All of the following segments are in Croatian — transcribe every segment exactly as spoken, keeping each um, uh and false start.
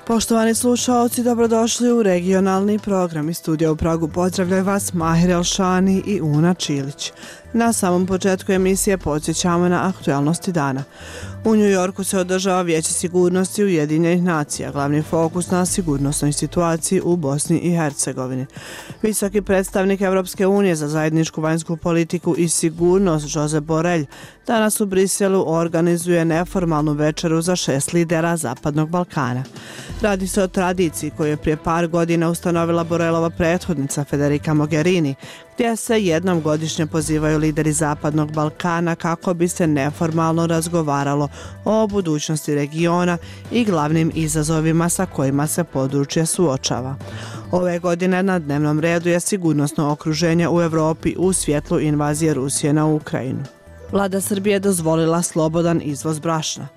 Poštovani slušaoci, dobrodošli u regionalni program. Iz studija u Pragu pozdravljaju vas Mahir Elšani i Una Čilić. Na samom početku emisije podsjećamo na aktualnosti dana. U New Yorku se održava Vijeće sigurnosti Ujedinjenih nacija, glavni fokus na sigurnosnoj situaciji u Bosni i Hercegovini. Visoki predstavnik Evropske unije za zajedničku vanjsku politiku i sigurnost Josep Borrell danas u Briselu organizuje neformalnu večeru za šest lidera Zapadnog Balkana. Radi se o tradiciji koju je prije par godina ustanovila Borrellova prethodnica Federica Mogherini, gdje se jednom godišnje pozivaju lideri Zapadnog Balkana kako bi se neformalno razgovaralo o budućnosti regiona i glavnim izazovima sa kojima se područje suočava. Ove godine na dnevnom redu je sigurnosno okruženje u Europi u svjetlu invazije Rusije na Ukrajinu. Vlada Srbije je dozvolila slobodan izvoz brašna.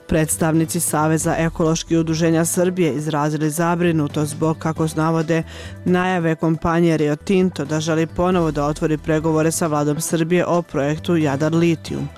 Predstavnici Saveza ekoloških udruženja Srbije izrazili zabrinutost zbog, kako navode, najave kompanije Rio Tinto da želi ponovo da otvori pregovore sa vladom Srbije o projektu Jadar Litijum.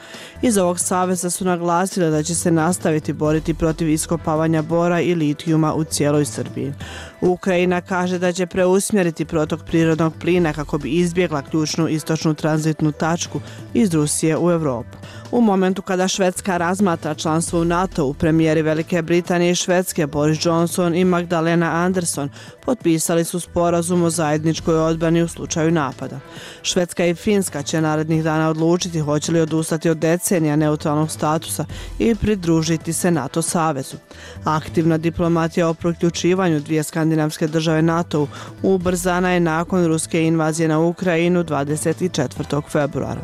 Iz ovog saveza su naglasili da će se nastaviti boriti protiv iskopavanja bora i litijuma u cijeloj Srbiji. Ukrajina kaže da će preusmjeriti protok prirodnog plina kako bi izbjegla ključnu istočnu tranzitnu tačku iz Rusije u Europu. U momentu kada Švedska razmatra članstvo u NATO-u, premijeri Velike Britanije i Švedske Boris Johnson i Magdalena Andersson potpisali su sporazum o zajedničkoj odbrani u slučaju napada. Švedska i Finska će narednih dana odlučiti hoće li odustati od decenija neutralnog statusa i pridružiti se NATO savezu. Aktivna diplomatija o priključivanju dvije skandinavske države NATO-u ubrzana je nakon ruske invazije na Ukrajinu dvadeset četvrtog februara.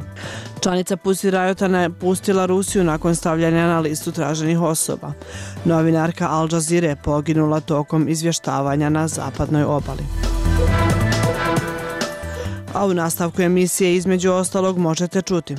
Članica Pussy Riota napustila Rusiju nakon stavljanja na listu traženih osoba. Novinarka Al Jazeera je poginula tokom izvještavanja na zapadnoj obali. A u nastavku emisije između ostalog možete čuti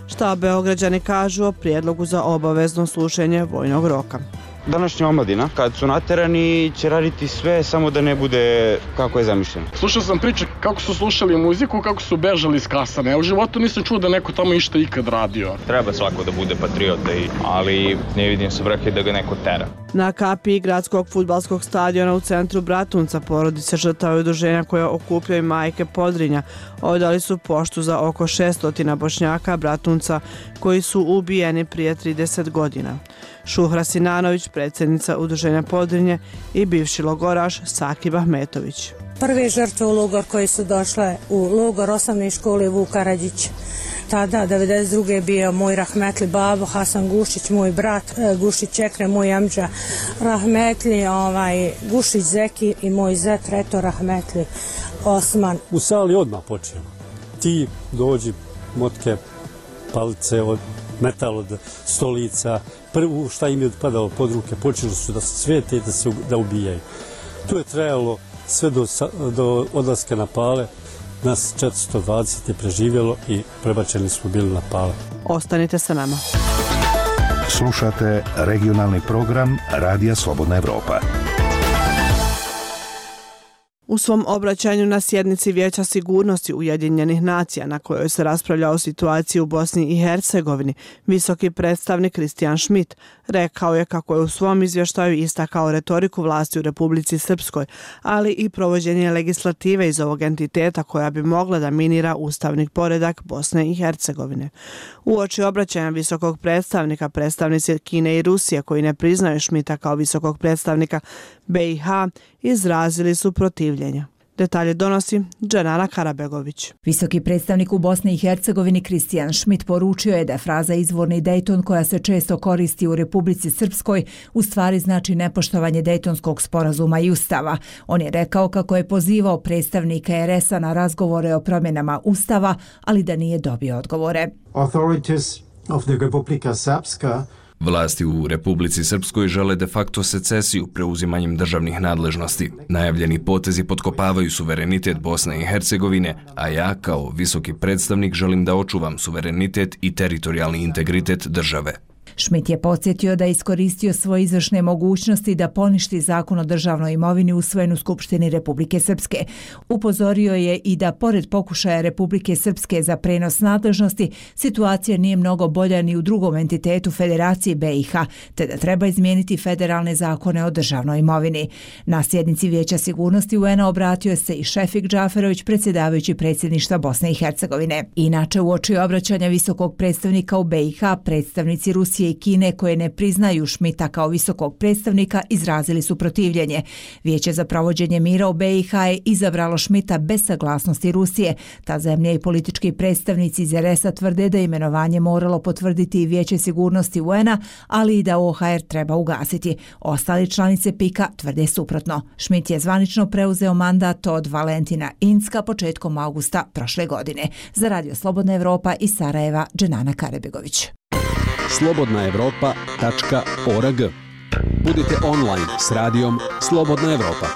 šta Beograđani kažu o prijedlogu za obavezno služenje vojnog roka. Današnja omladina, kad su naterani, će raditi sve samo da ne bude kako je zamišljeno. Slušao sam priče kako su slušali muziku, kako su bežali iz kasane. Ja u životu nisam čuo da neko tamo išta ikad radio. Treba svako da bude patriota, ali ne vidim svrhe da ga neko tera. Na kapiji gradskog fudbalskog stadiona u centru Bratunca porodice žrtava i udruženja koje okupljaju majke Podrinja odali su poštu za oko šesto Bošnjaka Bratunca koji su ubijeni prije trideset godina. Šuhra Sinanović, predsjednica udruženja Podrinje, i bivši logoraš Sakib Ahmetović. Prve žrtve u logor koje su došle u logor osnovne škole Vuk Karadžić. Tada, devedeset druge je bio moj rahmetli babo Hasan Gušić, moj brat Gušić Ekrem, moj amdža rahmetli ovaj, Gušić Zeki i moj zet Reto rahmetli Osman. U sali odmah počeo. Ti dođi, motke, palice, od metal od stolica, prvo šta im je padalo pod ruke, počeli su da se svete i da se da ubijaju. To je trajalo sve do, do odlaska na Pale. Nas četiristo dvadeset je preživjelo i prebačeni smo bili na Pale. Ostanite sa nama. Slušate regionalni program Radija Slobodna Evropa. U svom obraćanju na sjednici Vijeća sigurnosti Ujedinjenih nacija na kojoj se raspravlja o situaciji u Bosni i Hercegovini, visoki predstavnik Christian Schmidt rekao je kako je u svom izvještaju istakao retoriku vlasti u Republici Srpskoj, ali i provođenje legislative iz ovog entiteta koja bi mogla da minira ustavni poredak Bosne i Hercegovine. Uoči obraćanja visokog predstavnika, predstavnici Kine i Rusije koji ne priznaju Schmidta kao visokog predstavnika B i H izrazili su protivljenja. Detalje donosi Dženara Karabegović. Visoki predstavnik u Bosni i Hercegovini Christian Schmidt poručio je da fraza izvorni Dejton koja se često koristi u Republici Srpskoj u stvari znači nepoštovanje Dejtonskog sporazuma i ustava. On je rekao kako je pozivao predstavnike er es a na razgovore o promjenama ustava, ali da nije dobio odgovore. Authorities of the Republika Srpska Vlasti u Republici Srpskoj žele de facto secesiju preuzimanjem državnih nadležnosti. Najavljeni potezi potkopavaju suverenitet Bosne i Hercegovine, a ja kao visoki predstavnik želim da očuvam suverenitet i teritorijalni integritet države. Schmidt je podsjetio da je iskoristio svoje izvršne mogućnosti da poništi zakon o državnoj imovini usvojen u Skupštini Republike Srpske. Upozorio je i da pored pokušaja Republike Srpske za prenos nadležnosti, situacija nije mnogo bolja ni u drugom entitetu Federacije B i H, te da treba izmijeniti federalne zakone o državnoj imovini. Na sjednici Vijeća sigurnosti U N A obratio se i Šefik Džaferović, predsjedavajući predsjedništva Bosne i Hercegovine. Inače, uoči obraćanja visokog predstavnika u B i H, predstavnici Rusije i Kine koje ne priznaju Schmidta kao visokog predstavnika izrazili su protivljenje. Vijeće za provođenje mira u B i H je izabralo Schmidta bez saglasnosti Rusije. Ta zemlja i politički predstavnici iz R S-a tvrde da imenovanje moralo potvrditi i Vijeće sigurnosti U N A, ali i da O H R treba ugasiti. Ostali članice P I K-a tvrde suprotno. Schmidt je zvanično preuzeo mandat od Valentina Incka početkom augusta prošle godine. Za Radio Slobodna Evropa iz Sarajeva, Dženana Karebegović. slobodna evropa tačka org. Budite online s radijom Slobodna Evropa.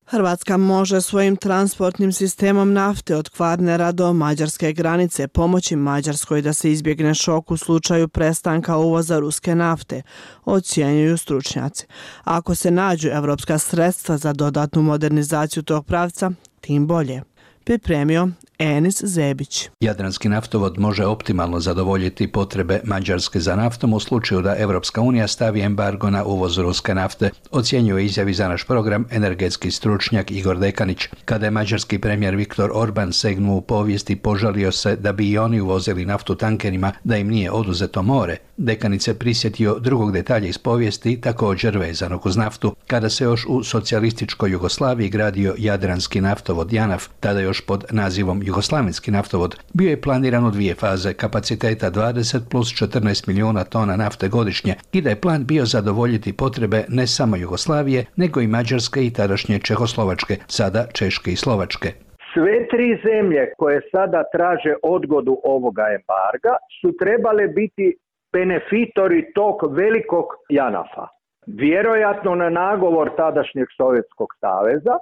Hrvatska može svojim transportnim sistemom nafte od Kvarnera do mađarske granice pomoći Mađarskoj da se izbjegne šok u slučaju prestanka uvoza ruske nafte, ocjenjuju stručnjaci. Ako se nađu evropska sredstva za dodatnu modernizaciju tog pravca, tim bolje. Pripremio Enis Zebić. Jadranski naftovod može optimalno zadovoljiti potrebe Mađarske za naftom u slučaju da Evropska unija stavi embargo na uvoz ruske nafte, ocjenjuje izjavi za naš program energetski stručnjak Igor Dekanić. Kada je mađarski premijer Viktor Orban segnuo u povijest i požalio se da bi i oni uvozili naftu tankerima, da im nije oduzeto more, Dekanić se prisjetio drugog detalja iz povijesti, također vezanog uz naftu, kada se još u socijalističkoj Jugoslaviji gradio Jadranski naftovod JANAF, tada još pod nazivom Jugoslavenski naftovod. Bio je planiran u dvije faze, kapaciteta dvadeset plus četrnaest milijuna tona nafte godišnje i da je plan bio zadovoljiti potrebe ne samo Jugoslavije, nego i Mađarske i tadašnje Čehoslovačke, sada Češke i Slovačke. Sve tri zemlje koje sada traže odgodu ovoga embarga su trebale biti benefitori tog velikog JANAF-a. Vjerojatno na nagovor tadašnjeg Sovjetskog saveza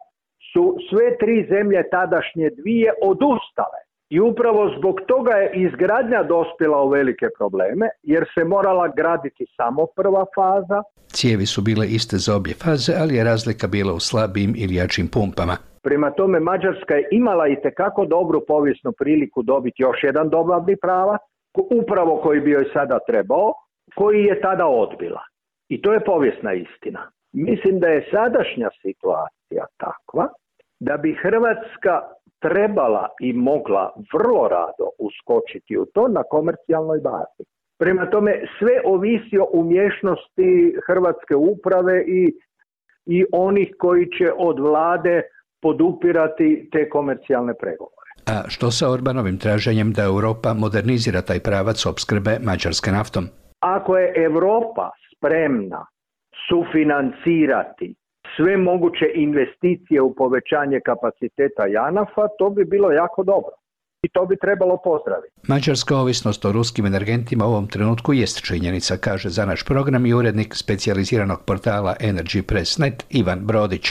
su sve tri zemlje tadašnje dvije odustale. I upravo zbog toga je izgradnja dospjela u velike probleme, jer se morala graditi samo prva faza. Cijevi su bile iste za obje faze, ali je razlika bila u slabijim ili jačim pumpama. Prema tome, Mađarska je imala itekako dobru povijesnu priliku dobiti još jedan dobavni pravac, upravo koji bi joj sada trebao, koji je tada odbila. I to je povijesna istina. Mislim da je sadašnja situacija takva da bi Hrvatska trebala i mogla vrlo rado uskočiti u to na komercijalnoj bazi. Prema tome, sve ovisi o umješnosti hrvatske uprave i, i onih koji će od vlade podupirati te komercijalne pregovore. A što sa Orbanovim traženjem da Europa modernizira taj pravac opskrbe Mađarske naftom? Ako je Europa spremna sufinancirati sve moguće investicije u povećanje kapaciteta JANAF-a, to bi bilo jako dobro i to bi trebalo pozdraviti. Mađarska ovisnost o ruskim energentima u ovom trenutku jest činjenica, kaže za naš program i urednik specijaliziranog portala Energy Press punto net Ivan Brodić.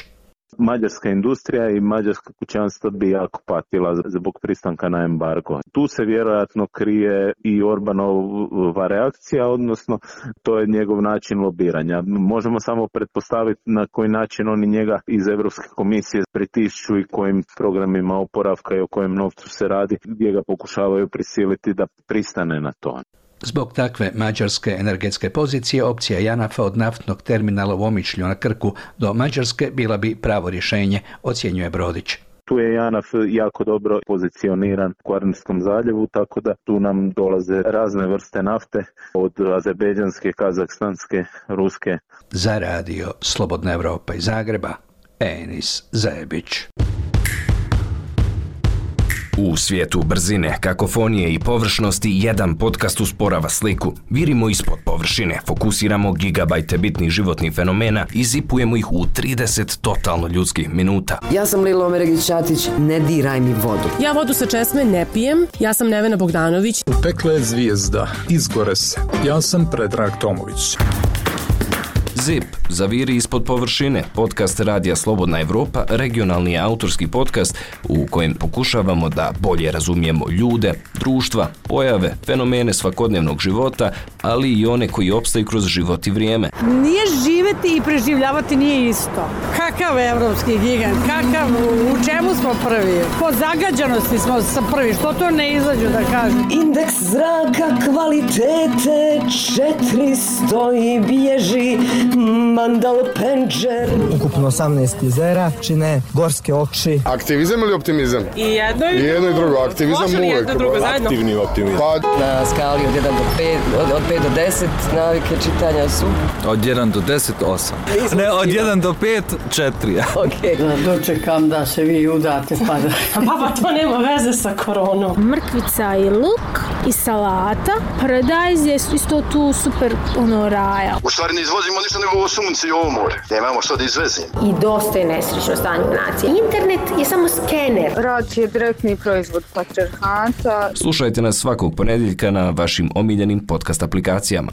Mađarska industrija i mađarska kućanstva bi jako patila zbog pristanka na embargo. Tu se vjerojatno krije i Orbanova reakcija, odnosno to je njegov način lobiranja. Možemo samo pretpostaviti na koji način oni njega iz Europske komisije pritišću i kojim programima oporavka i o kojem novcu se radi, gdje ga pokušavaju prisiliti da pristane na to. Zbog takve mađarske energetske pozicije, opcija JANAF-a od naftnog terminala u Omišlju na Krku do Mađarske bila bi pravo rješenje, ocjenjuje Brodić. Tu je JANAF jako dobro pozicioniran u Kvarnerskom zaljevu, tako da tu nam dolaze razne vrste nafte, od azerbejdžanske, kazahstanske, ruske. Za radio Slobodna Evropa iz Zagreba, Enis Zebić. U svijetu brzine, kakofonije i površnosti jedan podcast usporava sliku. Virimo ispod površine, fokusiramo gigabajte bitnih životnih fenomena i zipujemo ih u trideset totalno ljudskih minuta. Ja sam Lilo Omeregić-Ćatić, ne diraj mi vodu. Ja vodu sa česme ne pijem, ja sam Nevena Bogdanović. Pekla je zvijezda, izgore se. Ja sam Predrag Tomović. Zip, Zaviri ispod površine, podcast Radija Slobodna Evropa, regionalni autorski podcast u kojem pokušavamo da bolje razumijemo ljude, društva, pojave, fenomene svakodnevnog života, ali i one koji opstaju kroz život i vrijeme. Nije živeti i preživljavati nije isto. Kakav evropski gigant, kakav, u čemu smo prvi? Po zagađanosti smo prvi, što to ne izađu da kažem? Indeks zraka kvalitete četiristo i bježi Mandal Penđer. Ukupno osamnaest jezera čine gorske oči. Aktivizam ili optimizam? I jedno i, I jedno i drugo. Aktivizam uvek. Jedno drugo zajedno. Aktivni optimizam. Pa... Na skali od jedan do pet, od, od pet do deset navike čitanja su? Od jedan do deset, osam. Ne, od jedan do pet, četiri. Okay. Da dočekam da se vi udate pa da... Baba, to nema veze sa koronom. Mrkvica i luk i salata. Paradajz je isto tu super ono raja. U stvari ne izvozimo ništa nego ovo sunce i ovo more. Nemamo što da izvezimo. I dosta je nesrećno stanje nacije. Internet je samo skener. Rad je direktni proizvod patrijarhata. Slušajte nas svakog ponedjeljka na vašim omiljenim podcast aplikacijama.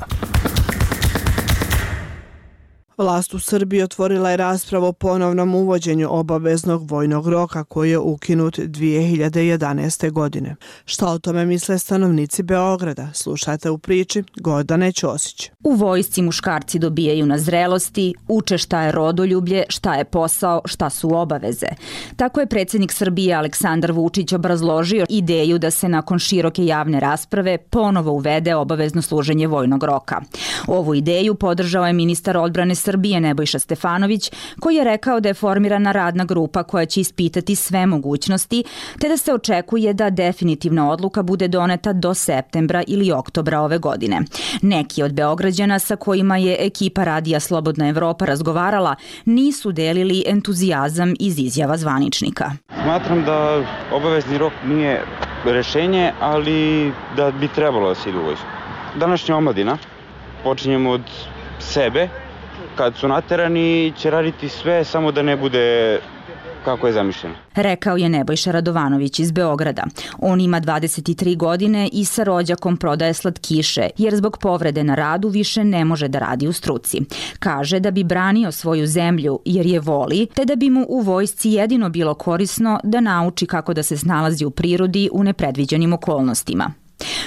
Vlast u Srbiji otvorila je raspravu o ponovnom uvođenju obaveznog vojnog roka koji je ukinut dvije hiljade jedanaeste. godine. Šta o tome misle stanovnici Beograda? Slušajte u priči Gordane Ćosić. U vojsci muškarci dobijaju na zrelosti, uče šta je rodoljublje, šta je posao, šta su obaveze. Tako je predsjednik Srbije Aleksandar Vučić obrazložio ideju da se nakon široke javne rasprave ponovo uvede obavezno služenje vojnog roka. Ovu ideju podržao je ministar odbrane Srbije Nebojša Stefanović, koji je rekao da je formirana radna grupa koja će ispitati sve mogućnosti, te da se očekuje da definitivna odluka bude doneta do septembra ili oktobra ove godine. Neki od Beograđana sa kojima je ekipa Radija Slobodna Evropa razgovarala nisu delili entuzijazam iz izjava zvaničnika. Smatram da obavezni rok nije rešenje, ali da bi trebalo da se ide u vojsku. Današnja omladina, počinjemo od sebe, kad su naterani će raditi sve samo da ne bude kako je zamišljeno. Rekao je Nebojša Radovanović iz Beograda. On ima dvadeset tri godine i sa rođakom prodaje slatkiše, jer zbog povrede na radu više ne može da radi u struci. Kaže da bi branio svoju zemlju jer je voli, te da bi mu u vojsci jedino bilo korisno da nauči kako da se snalazi u prirodi u nepredviđenim okolnostima.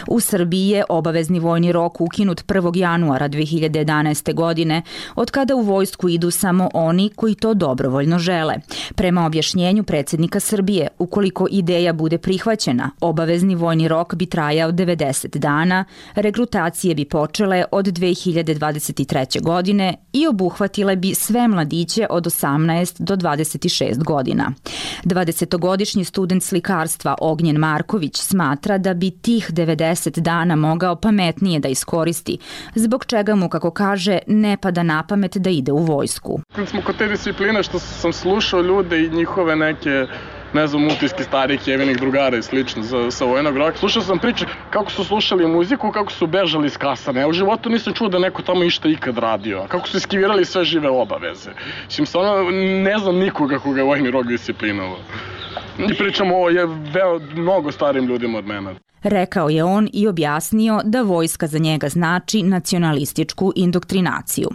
U Srbiji je obavezni vojni rok ukinut prvog januara dve hiljade jedanaeste. godine, od kada u vojsku idu samo oni koji to dobrovoljno žele. Prema objašnjenju predsjednika Srbije, ukoliko ideja bude prihvaćena, obavezni vojni rok bi trajao devedeset dana, regrutacije bi počele od dve hiljade dvadeset treće. godine i obuhvatile bi sve mladiće od osamnaest do dvadeset šest godina. dvadesetogodišnji student slikarstva Ognjen Marković smatra da bi tih devedeset dana mogao pametnije da iskoristi, zbog čega mu, kako kaže, ne pada na pamet da ide u vojsku. Kad smo kod te discipline što sam slušao ljude i njihove neke, ne znam, utiske starih jevenih drugara i slično za, sa vojnog roka, slušao sam priče kako su slušali muziku, kako su bežali iz kasane. Ja u životu nisam čuo da neko tamo išta ikad radio. Kako su iskivirali sve žive obaveze. Mislim, stvarno ne znam nikoga koga je vojni rok disciplinovao. I pričamo o je veo mnogo starim ljudima od mene. Rekao je on i objasnio da vojska za njega znači nacionalističku indoktrinaciju.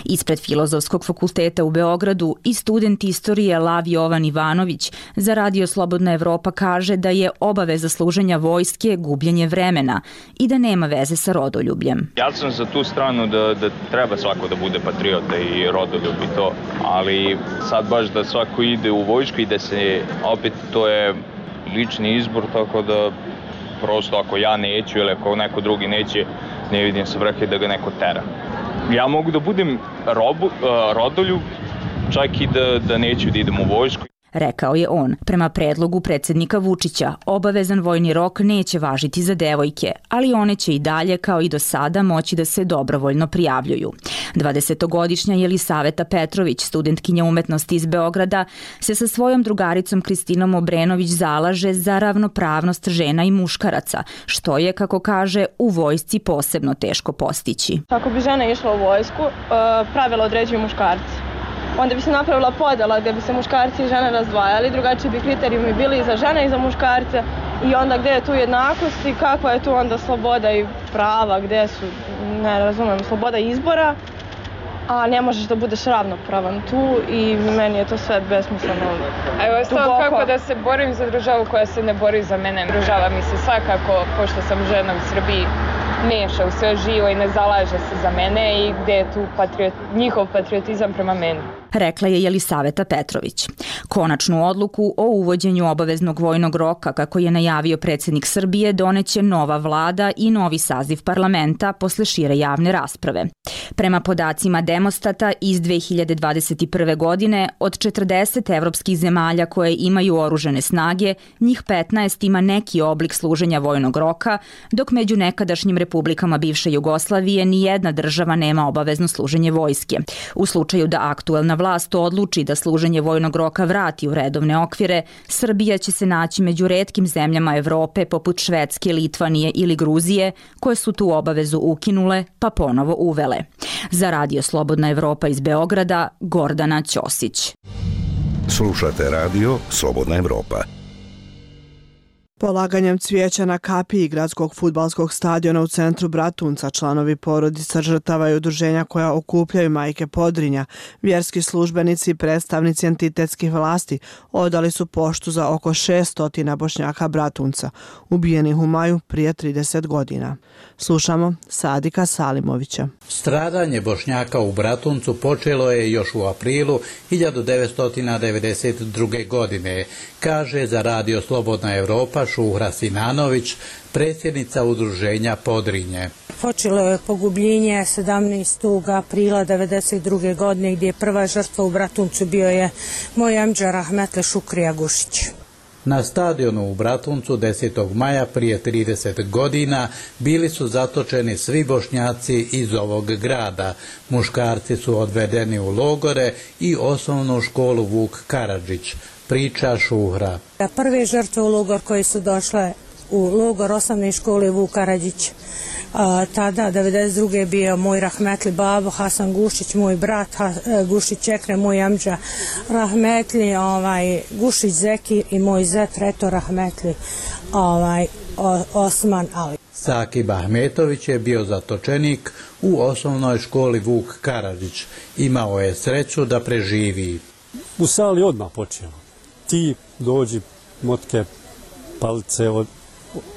Ispred Filozofskog fakulteta u Beogradu i student istorije Lav Jovan Ivanović za Radio Slobodna Evropa kaže da je obaveza služenja vojske gubljenje vremena i da nema veze sa rodoljubljem. Ja sam za tu stranu da, da treba svako da bude patriota i rodoljub i to, ali sad baš da svako ide u vojsku i da se, opet to je lični izbor, tako da prosto ako ja neću ili ako neko drugi neće, ne vidim svrhe da ga neko tera. Ja mogu da budem robu, uh, rodoljub, čak i da, da neću da idem u vojsku. Rekao je on. Prema predlogu predsjednika Vučića, obavezan vojni rok neće važiti za devojke, ali one će i dalje, kao i do sada, moći da se dobrovoljno prijavljuju. dvadesetogodišnja Jelisaveta Petrović, studentkinja umetnosti iz Beograda, se sa svojom drugaricom Kristinom Obrenović zalaže za ravnopravnost žena i muškaraca, što je, kako kaže, u vojsci posebno teško postići. Ako bi žena išla u vojsku, pravila određuju muškarci. Onda bi se napravila podela gdje bi se muškarci i žene razdvajali, drugačiji bi kriterijumi bili i za žene i za muškarce i onda gdje je tu jednakost i kakva je tu onda sloboda i prava, gdje su, ne razumijem, sloboda izbora a ne možeš da budeš ravnopravan tu i meni je to sve besmisleno. A evo stavno kako da se borim za državu koja se ne bori za mene. Država mi se svakako, pošto sam žena u Srbiji, meša u sve živo i ne zalaže se za mene i gde je tu patriot, njihov patriotizam prema meni. Rekla je Jelisaveta Petrović. Konačnu odluku o uvođenju obaveznog vojnog roka, kako je najavio predsjednik Srbije, doneće nova vlada i novi saziv parlamenta posle šire javne rasprave. Prema podacima Demostata iz dve hiljade dvadeset prve. godine, od četrdeset evropskih zemalja koje imaju oružane snage, njih petnaest ima neki oblik služenja vojnog roka, dok među nekadašnjim republikama bivše Jugoslavije ni jedna država nema obavezno služenje vojske. U slučaju da aktuelna vlast odluči da služenje vojnog roka vrati u redovne okvire, Srbija će se naći među retkim zemljama Evrope poput Švedske, Litvanije ili Gruzije, koje su tu obavezu ukinule pa ponovo uvele. Za Radio Slobodna Evropa iz Beograda, Gordana Ćosić. Slušate Radio Slobodna Evropa. Polaganjem cvijeća na kapiji gradskog fudbalskog stadiona u centru Bratunca članovi porodica žrtava i udruženja koja okupljaju majke Podrinja, vjerski službenici i predstavnici entitetskih vlasti odali su poštu za oko šessto Bošnjaka Bratunca, ubijenih u maju prije trideset godina. Slušamo Sadika Salimovića. Stradanje Bošnjaka u Bratuncu počelo je još u aprilu hiljadu devetsto devedeset druge. godine, kaže za Radio Slobodna Evropa Šuhra Sinanović, predsjednica udruženja Podrinje. Počelo je pogubljenje sedamnaestog aprila devedeset druge. godine gdje je prva žrtva u Bratuncu bio je moj amdža Rahmetle Šukrija Gušić. Na stadionu u Bratuncu desetog maja prije trideset godina bili su zatočeni svi Bošnjaci iz ovog grada. Muškarci su odvedeni u logore i osnovnu školu Vuk Karadžić, priča Šuhra. Prve žrtve u logor koje su došle u logor osnovne škole Vuk Karadžić, A, tada devedeset druge bio moj rahmetli babo Hasan Gušić, moj brat ha, Gušić Ekre, moj amdža rahmetli ovaj, Gušić Zeki i moj zet Reto rahmetli ovaj, o, Osman Ali. Sakib Ahmetović je bio zatočenik u osnovnoj školi Vuk Karadžić. Imao je sreću da preživi. U sali odmah počeo. Ti dođi, motke, palice od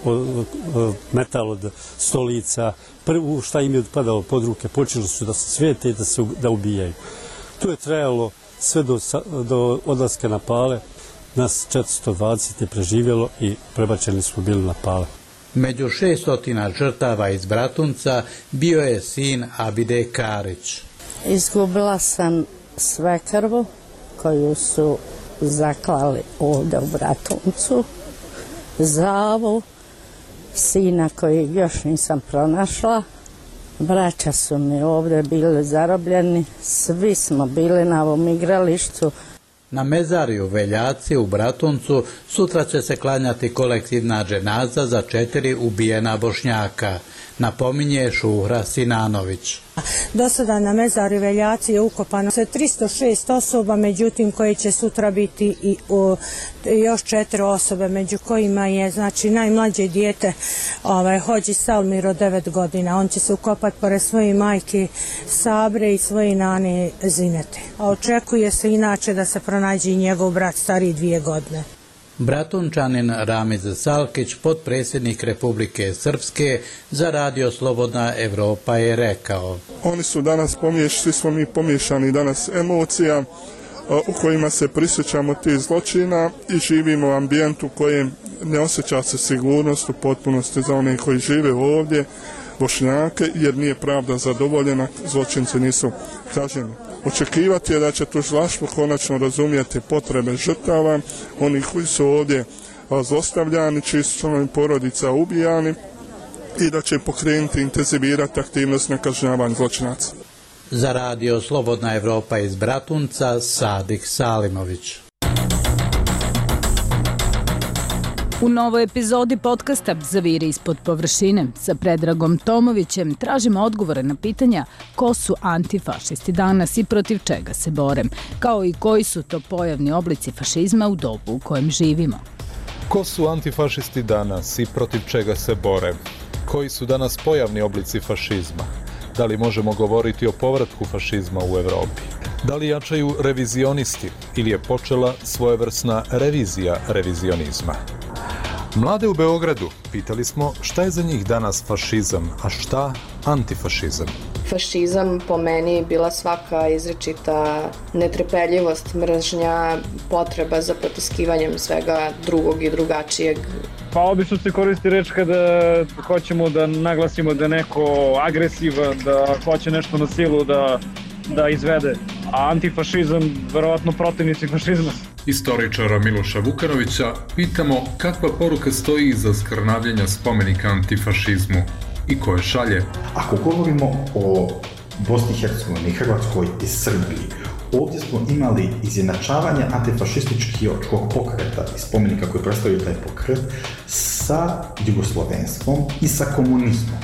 Od, od, metal od stolica, prvo šta im je padalo pod ruke, počeli su da se svijete i da se da ubijaju. To je trajalo sve do, do odlaska na Pale, nas četiristo dvadeset je preživjelo i prebačeni smo bili na Pale. Među šeststotina žrtava iz Bratunca bio je sin Abide Karić. Izgubila sam svekrvu koju su zaklali ovdje u Bratuncu, Zavu, sina koji još nisam pronašla, braća su mi ovdje bili zarobljeni, svi smo bili na ovom igralištu. Na mezariju Veljaci u Bratuncu sutra će se klanjati kolektivna dženaza za četiri ubijena Bošnjaka, napominje Šuhra Sinanović. Do sada na mezari Veljaci je ukopano tristo šest osoba, međutim koje će sutra biti i o, još četiri osobe, među kojima je znači najmlađe dijete ovaj, Hođi Salmir od devet godina. On će se ukopati pored svoje majke Sabre i svoje nane Zinete. A očekuje se inače da se pronađe i njegov brat stariji dvije godine. Bratunčanin Ramiz Salkić, potpredsjednik Republike Srpske, za Radio Slobodna Evropa je rekao: Oni su danas pomiješani, svi smo mi pomiješani danas emocija u kojima se prisjećamo tih zločina i živimo u ambijentu kojem ne osjeća se sigurnost u potpunosti za one koji žive ovdje, Bošnjake, jer nije pravda zadovoljena, zločinci nisu kažnjeni. Očekivati je da će tužilaštvo konačno razumijeti potrebe žrtava, onih koji su ovdje zlostavljani, čiji su članovi porodica ubijani i da će pokrenuti, intenzivirati aktivnost na kažnjavanju zločinaca. Za Radio Slobodna Evropa iz Bratunca, Sadik Salimović. U novoj epizodi podcasta Zaviri ispod površine sa Predragom Tomovićem tražimo odgovore na pitanja ko su antifašisti danas i protiv čega se bore, kao i koji su to pojavni oblici fašizma u dobu u kojem živimo. Ko su antifašisti danas i protiv čega se bore? Koji su danas pojavni oblici fašizma? Da li možemo govoriti o povratku fašizma u Evropi? Da li jačaju revizionisti ili je počela svojevrsna revizija revizionizma? Mlade u Beogradu pitali smo šta je za njih danas fašizam, a šta antifašizam. Fašizam po meni bila svaka izričita netrpeljivost, mržnja, potreba za potiskivanjem svega drugog i drugačijeg. Pa obično se koristi reč kada hoćemo da naglasimo da je neko agresivan, da hoće nešto na silu da, da izvede. A antifašizam, verovatno protivnici fašizma. Istoričara Miloša Vukanovića pitamo kakva poruka stoji iza skrnavljenja spomenika antifašizmu i koje šalje. Ako govorimo o Bosni i Hercegovini, Hrvatskoj i Srbiji, ovdje smo imali izjednačavanje antifašističkog pokreta i spomenika koji predstavljaju taj pokret sa jugoslovenstvom i sa komunizmom.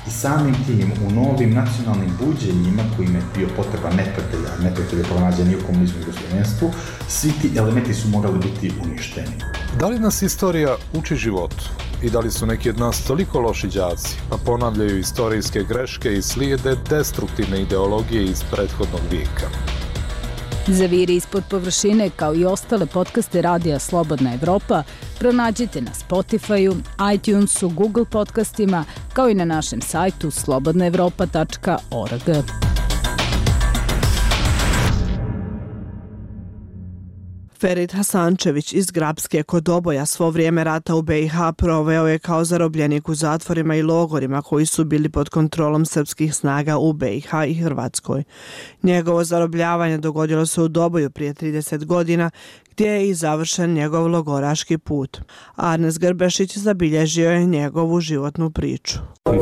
I samim tim u novim nacionalnim buđenjima kojima je bio potreba neprijatelja, neprijatelja pronađeni u komunizmu i jugoslovenstvu, svi ti elementi su morali biti uništeni. Da li nas istorija uči životu? I da li su neki od nas toliko loši đaci, pa ponavljaju istorijske greške i slijede destruktivne ideologije iz prethodnog vijeka? Zaviri ispod površine, kao i ostale podcaste radija Slobodna Evropa, pronađite na Spotify-u, iTunesu, Google podcastima, kao i na našem sajtu slobodna evropa tačka org. Ferid Hasančević iz Grapske kod Doboja svo vrijeme rata u be i ha proveo je kao zarobljenik u zatvorima i logorima koji su bili pod kontrolom srpskih snaga u be i ha i Hrvatskoj. Njegovo zarobljavanje dogodilo se u Doboju prije trideset godina, gdje je i završen njegov logoraški put. Arnes Grbešić zabilježio je njegovu životnu priču.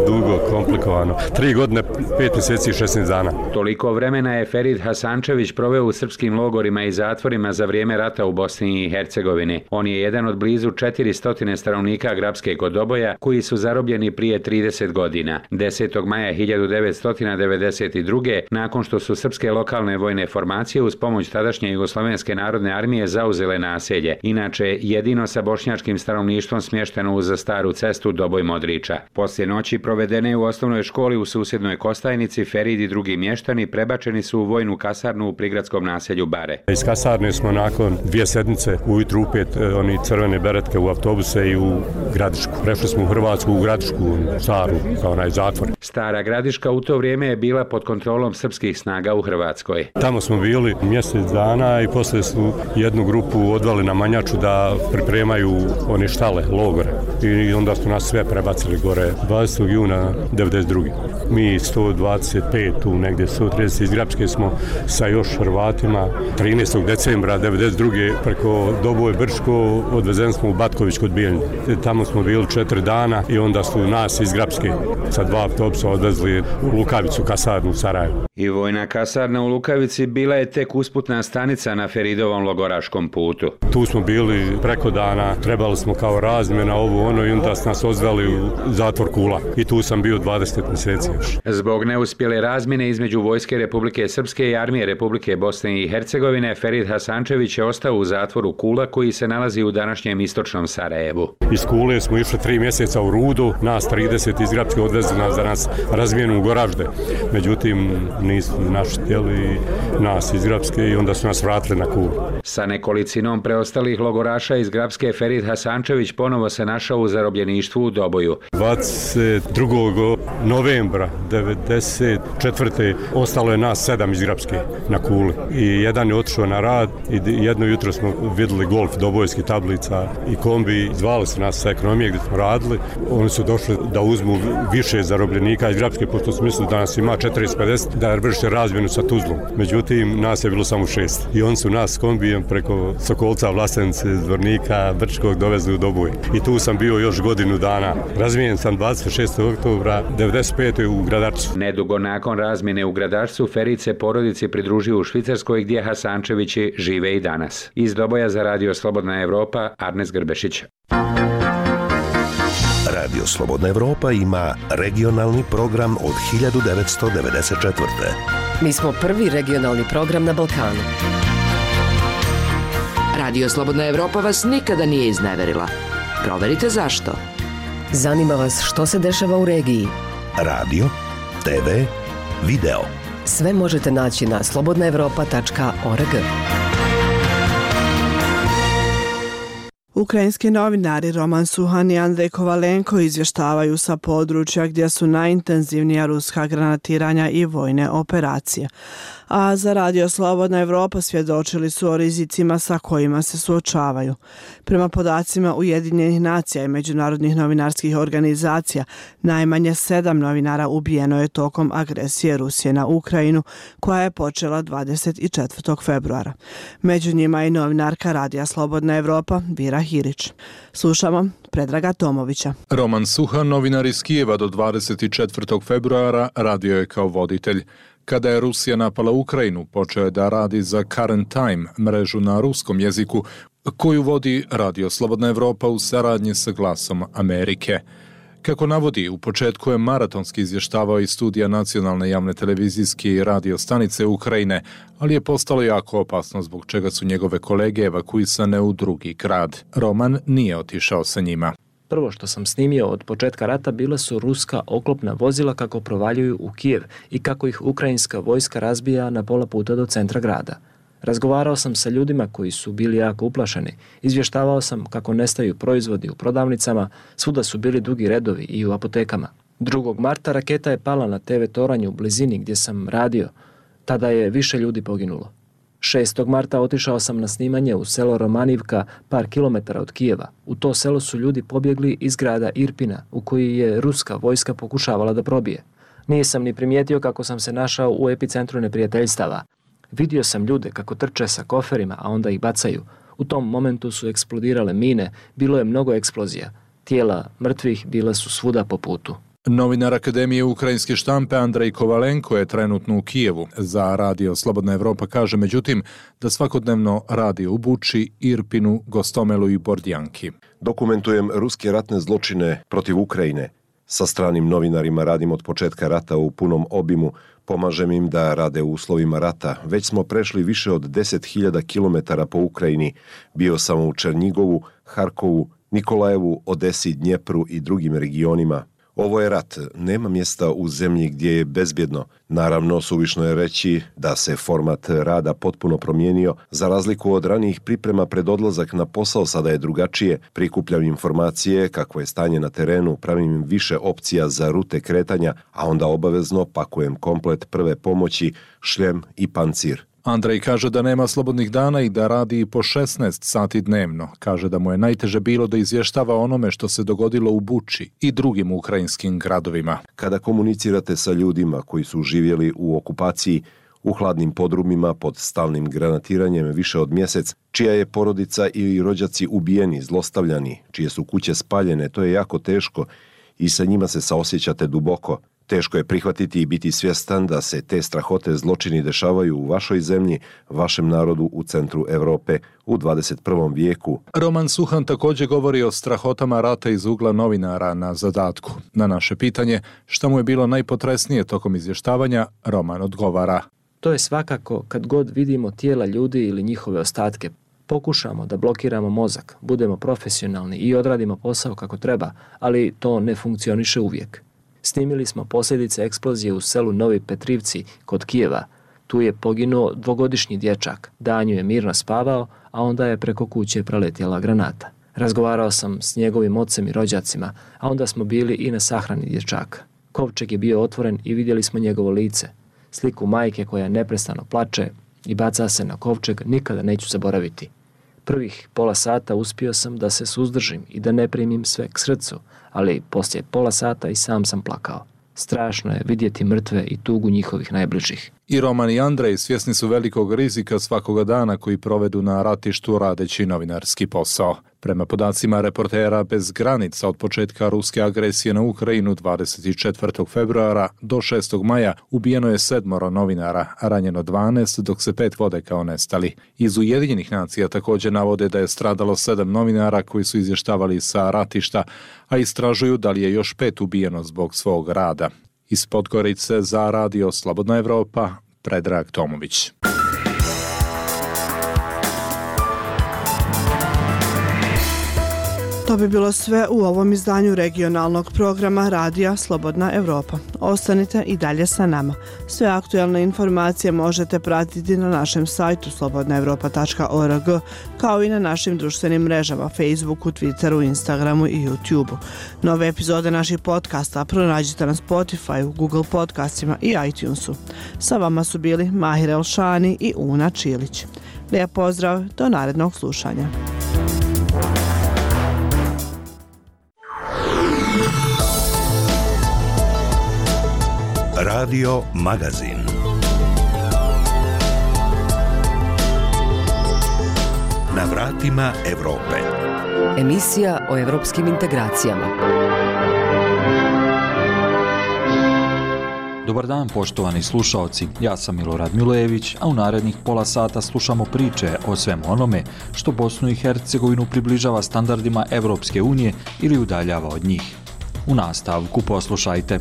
Dugo, komplikovano. Tri godine, pet mjeseci i šesnaest dana. Toliko vremena je Ferid Hasančević proveo u srpskim logorima i zatvorima za vrijeme rata u Bosni i Hercegovini. On je jedan od blizu četiristo stanovnika Grapske kod Doboja koji su zarobljeni prije trideset godina. desetog maja hiljadu devetsto devedeset druge. nakon što su srpske lokalne vojne formacije uz pomoć tadašnje Jugoslovenske narodne armije zauzele naselje, inače jedino sa bošnjačkim stanovništvom smješteno uz staru cestu Doboj-Modriča. Poslije noći provedene u osnovnoj školi u susjednoj Kostajnici, Ferid i drugi mještani prebačeni su u vojnu kasarnu u prigradskom naselju Bare. Iz kasarne smo nakon dvije sedmice ujutru upet oni crvene beretke u autobuse i u Gradišku. Prešli smo u Hrvatsku, u Gradišku, staru, kao onaj zatvor. Stara Gradiška u to vrijeme je bila pod kontrolom srpskih snaga u Hrvatskoj. Tamo smo bili mjesec dana i poslije su jednu grupu odvali na Manjaču da pripremaju one štale, logore. I onda su nas sve prebacili gore dvadesetog juna devedeset druge. Mi sto dvadeset pet, tu negdje sto trideset iz Grapske smo sa još Hrvatima trinaestog decembra devedeset druge preko Doboj Brčko odvezen smo u Batković kod Bijeljne. Tamo smo bili četiri dana i onda su nas iz Grapske sa dva autobusa odvezli u Lukavicu, kasarnu u Sarajevu. I vojna kasarna u Lukavici bila je tek usputna stanica na Feridovom logoraškom putu. Tu smo bili preko dana, trebali smo kao razmjena ovo ono i onda su nas odveli u zatvor Kula. I tu sam bio dvadeset mjeseci još. Zbog neuspjele razmjene između Vojske Republike Srpske i Armije Republike Bosne i Hercegovine, Ferid Hasančević je ostao u zatvoru Kula koji se nalazi u današnjem istočnom Sarajevu. Iz Kule smo išli tri mjeseca u Rudu, nas trideset iz Grapske odvezli nas da nas razmijenu u Goražde. Međutim, nisu naši htjeli nas iz Grapske i onda su nas vratili na Kulu. Sa nekolicinom preostalih logoraša iz Grapske, Ferid Hasančević ponovo se našao u zarobljeništvu u Doboju. dvadeset drugog novembra devedeset četvrte ostalo je nas sedam iz Grapske na Kuli. I jedan je otišao na rad i jedno jutro smo vidjeli golf dobojskih tablica i kombi. Zvali su nas sa ekonomije gdje smo radili. Oni su došli da uzmu više zarobljenika iz Grapske, pošto su mislili da nas ima četrdeset pedeset, da vrše razmjenu sa Tuzlom. Međutim, nas je bilo samo šest. I oni su nas s kombijem preko Sokolca, Vlasenice, Zvornika, Brčkog dovezli u Doboj. I tu sam bio još godinu dana. Razmijenjen sam dvadeset šestog oktobra devedeset pete u Gradačcu. Nedugo nakon razmjene u Gradačcu, Ferid se porodici pridružio u Švicarskoj gdje Hasančevići žive i danas. Iz Doboja za Radio Slobodna Evropa, Arnes Grbešić. Radio Slobodna Evropa ima regionalni program od hiljadu devetsto devedeset četvrte. Mi smo prvi regionalni program na Balkanu. Radio Slobodna Evropa vas nikada nije izneverila. Proverite zašto. Zanima vas što se dešava u regiji. Radio te ve, video. Sve možete naći na slobodna evropa tačka org. Ukrajinski novinari Roman Suhan i Andrej Kovalenko izvještavaju sa područja gdje su najintenzivnija ruska granatiranja i vojne operacije. A za Radio Slobodna Evropa svjedočili su o rizicima sa kojima se suočavaju. Prema podacima Ujedinjenih nacija i međunarodnih novinarskih organizacija, najmanje sedam novinara ubijeno je tokom agresije Rusije na Ukrajinu, koja je počela dvadeset četvrtog februara. Među njima i novinarka Radija Slobodna Evropa Vira Hirić. Slušamo Predraga Tomovića. Roman Suhan, novinar iz Kijeva, do dvadeset četvrtog februara radio je kao voditelj. Kada je Rusija napala Ukrajinu, počeo je da radi za Current Time, mrežu na ruskom jeziku, koju vodi Radio Slobodna Evropa u saradnji sa Glasom Amerike. Kako navodi, u početku je maratonski izvještavao iz studija nacionalne javne televizijske i radio stanice Ukrajine, ali je postalo jako opasno, zbog čega su njegove kolege evakuisane u drugi grad. Roman nije otišao sa njima. Prvo što sam snimio od početka rata bila su ruska oklopna vozila kako provaljuju u Kijev i kako ih ukrajinska vojska razbija na pola puta do centra grada. Razgovarao sam sa ljudima koji su bili jako uplašeni. Izvještavao sam kako nestaju proizvodi u prodavnicama, svuda su bili dugi redovi i u apotekama. drugog marta raketa je pala na te ve toranju u blizini gdje sam radio. Tada je više ljudi poginulo. šestog marta otišao sam na snimanje u selo Romanivka, par kilometara od Kijeva. U to selo su ljudi pobjegli iz grada Irpina, u koji je ruska vojska pokušavala da probije. Nisam ni primijetio kako sam se našao u epicentru neprijateljstava. Vidio sam ljude kako trče sa koferima, a onda ih bacaju. U tom momentu su eksplodirale mine, bilo je mnogo eksplozija. Tijela mrtvih bila su svuda po putu. Novinar Akademije ukrajinske štampe Andrej Kovalenko je trenutno u Kijevu. Za Radio Slobodna Evropa kaže međutim da svakodnevno radi u Buči, Irpinu, Gostomelu i Bordjanki. Dokumentujem ruske ratne zločine protiv Ukrajine. Sa stranim novinarima radim od početka rata u punom obimu, pomažem im da rade u uslovima rata. Već smo prešli više od deset hiljada kilometara po Ukrajini. Bio sam u Černjigovu, Harkovu, Nikolajevu, Odesi, Dnjepru i drugim regionima. Ovo je rat, nema mjesta u zemlji gdje je bezbjedno. Naravno, suvišno je reći da se format rada potpuno promijenio. Za razliku od ranijih priprema pred odlazak na posao, sada je drugačije. Prikupljam informacije, kakvo je stanje na terenu, pravim im više opcija za rute kretanja, a onda obavezno pakujem komplet prve pomoći, šljem i pancir. Andrej kaže da nema slobodnih dana i da radi po šesnaest sati dnevno. Kaže da mu je najteže bilo da izvještava onome što se dogodilo u Buči i drugim ukrajinskim gradovima. Kada komunicirate sa ljudima koji su živjeli u okupaciji, u hladnim podrumima pod stalnim granatiranjem više od mjesec, čija je porodica ili rođaci ubijeni, zlostavljani, čije su kuće spaljene, to je jako teško i sa njima se saosjećate duboko. Teško je prihvatiti i biti svjestan da se te strahote zločini dešavaju u vašoj zemlji, vašem narodu u centru Evrope u dvadeset prvom vijeku. Roman Suhan također govori o strahotama rata iz ugla novinara na zadatku. Na naše pitanje šta mu je bilo najpotresnije tokom izvještavanja, Roman odgovara. To je svakako kad god vidimo tijela ljudi ili njihove ostatke. Pokušamo da blokiramo mozak, budemo profesionalni i odradimo posao kako treba, ali to ne funkcioniše uvijek. Snimili smo posljedice eksplozije u selu Novi Petrivci kod Kijeva. Tu je poginuo dvogodišnji dječak. Danju je mirno spavao, a onda je preko kuće preletjela granata. Razgovarao sam s njegovim ocem i rođacima, a onda smo bili i na sahrani dječaka. Kovčeg je bio otvoren i vidjeli smo njegovo lice. Sliku majke koja neprestano plače i baca se na kovčeg nikada neću zaboraviti. Prvih pola sata uspio sam da se suzdržim i da ne primim sve k srcu, ali poslije pola sata i sam sam plakao. Strašno je vidjeti mrtve i tugu njihovih najbližih. I Roman i Andrej svjesni su velikog rizika svakoga dana koji provedu na ratištu radeći novinarski posao. Prema podacima Reportera bez granica od početka ruske agresije na Ukrajinu dvadeset četvrtog februara do šestog maja ubijeno je sedmoro novinara, a ranjeno dvanaest, dok se pet vode kao nestali. Iz Ujedinjenih nacija također navode da je stradalo sedam novinara koji su izvještavali sa ratišta, a istražuju da li je još pet ubijeno zbog svog rada. Iz Podgorice za Radio Slobodna Evropa, Predrag Tomović. To bi bilo sve u ovom izdanju regionalnog programa Radija Slobodna Evropa. Ostanite i dalje sa nama. Sve aktualne informacije možete pratiti na našem sajtu slobodna evropa tačka org, kao i na našim društvenim mrežama Facebooku, Twitteru, Instagramu i YouTubeu. Nove epizode naših podcasta pronađite na Spotify, Google podcastima i iTunesu. Sa vama su bili Mahir Elšani i Una Čilić. Lijep pozdrav, do narednog slušanja. Radio Magazin. Na vratima Evrope. Emisija o evropskim integracijama. Dobar dan, poštovani slušaoci. Ja sam Milorad Milojević, a u narednih pola sata slušamo priče o svemu onome što Bosnu i Hercegovinu približava standardima Evropske unije ili udaljava od njih. U nastavku poslušajte.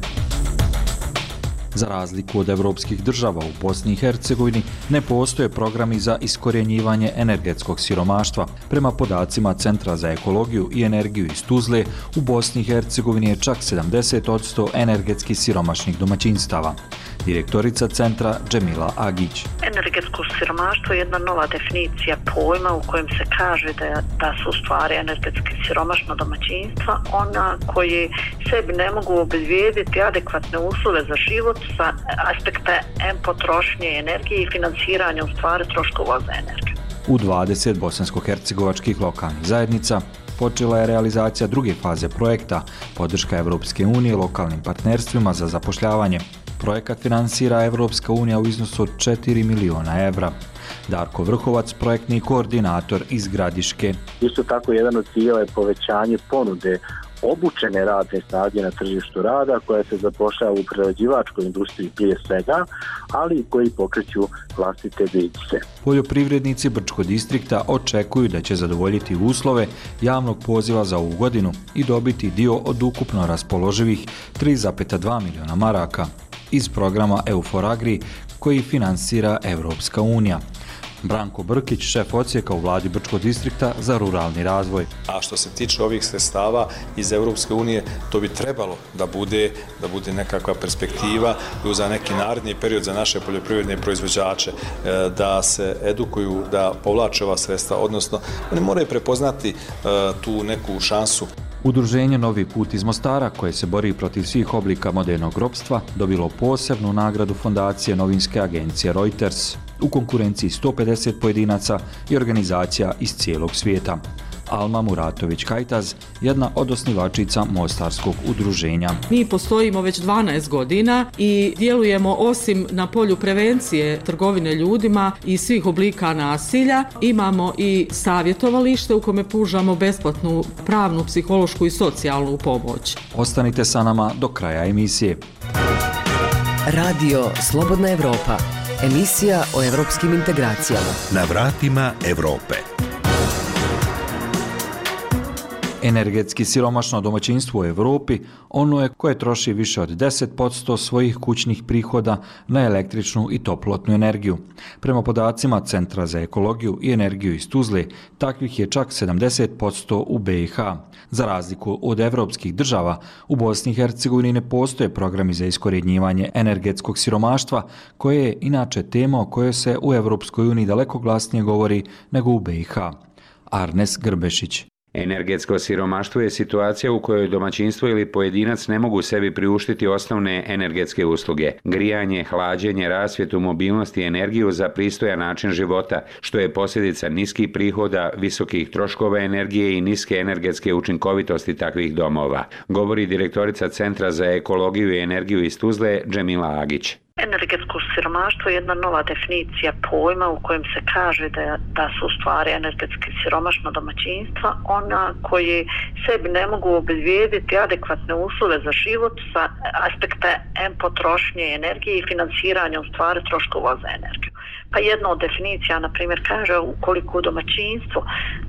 Za razliku od evropskih država u Bosni i Hercegovini ne postoje programi za iskorjenjivanje energetskog siromaštva. Prema podacima Centra za ekologiju i energiju iz Tuzle, u Bosni i Hercegovini je čak sedamdeset posto energetski siromašnih domaćinstava. Direktorica centra Džemila Agić. Energetsko siromaštvo je jedna nova definicija pojma u kojem se kaže da, da su u stvari energetski siromašna domaćinstva ona koji sebi ne mogu obezbijediti adekvatne uslove za život sa aspekta em potrošnje energije i finansiranja u stvari troškova za energiju. U dvadeset bosansko-hercegovačkih lokalnih zajednica počela je realizacija druge faze projekta podrška Evropske unije lokalnim partnerstvima za zapošljavanje. Projekat finansira Evropska unija u iznosu od četiri miliona evra. Darko Vrhovac, projektni koordinator iz Gradiške. Isto tako jedan od ciljeva je povećanje ponude obučene radne snage na tržištu rada koja se zapošljava u prerađivačkoj industriji prije svega, ali i koji pokreću vlastite biznise. Poljoprivrednici Brčkog distrikta očekuju da će zadovoljiti uslove javnog poziva za ovu godinu i dobiti dio od ukupno raspoloživih tri zarez dva miliona maraka iz programa EUFOR Agri koji finansira Evropska unija. Branko Brkić, šef odsjeka u vladi Brčkog distrikta za ruralni razvoj. A što se tiče ovih sredstava iz Evropske unije, to bi trebalo da bude, da bude nekakva perspektiva i za neki naredni period za naše poljoprivredne proizvođače, da se edukuju, da povlače ova sredstva, odnosno oni moraju prepoznati tu neku šansu. Udruženje Novi put iz Mostara, koje se bori protiv svih oblika modernog ropstva, dobilo posebnu nagradu fondacije novinske agencije Reuters u konkurenciji sto pedeset pojedinaca i organizacija iz cijelog svijeta. Alma Muratović-Kajtaz, jedna od osnivačica Mostarskog udruženja. Mi postojimo već dvanaest godina i djelujemo osim na polju prevencije trgovine ljudima i svih oblika nasilja. Imamo i savjetovalište u kome pružamo besplatnu pravnu, psihološku i socijalnu pomoć. Ostanite sa nama do kraja emisije. Radio Slobodna Evropa. Emisija o evropskim integracijama. Na vratima Evrope. Energetski siromašno domaćinstvo u Evropi ono je koje troši više od deset posto svojih kućnih prihoda na električnu i toplotnu energiju. Prema podacima Centra za ekologiju i energiju iz Tuzle, takvih je čak sedamdeset posto u be i ha. Za razliku od evropskih država, u Bosni i Hercegovini ne postoje programi za iskorjenjivanje energetskog siromaštva, koje je inače tema o kojoj se u Evropskoj uniji daleko glasnije govori nego u be i ha. Arnes Grbešić. Energetsko siromaštvo je situacija u kojoj domaćinstvo ili pojedinac ne mogu sebi priuštiti osnovne energetske usluge, grijanje, hlađenje, rasvjetu, mobilnost i energiju za pristojan način života, što je posljedica niskih prihoda, visokih troškova energije i niske energetske učinkovitosti takvih domova, govori direktorica Centra za ekologiju i energiju iz Tuzle Džemila Agić. Energetsko siromaštvo je jedna nova definicija pojma u kojem se kaže da, da su u stvari energetski siromašna domaćinstva ona koji sebi ne mogu obezbijediti adekvatne uslove za život sa aspekta em potrošnje energije i finansiranja u stvari troškova za energiju. Pa jedna od definicija, na primjer, kaže ukoliko domaćinstvo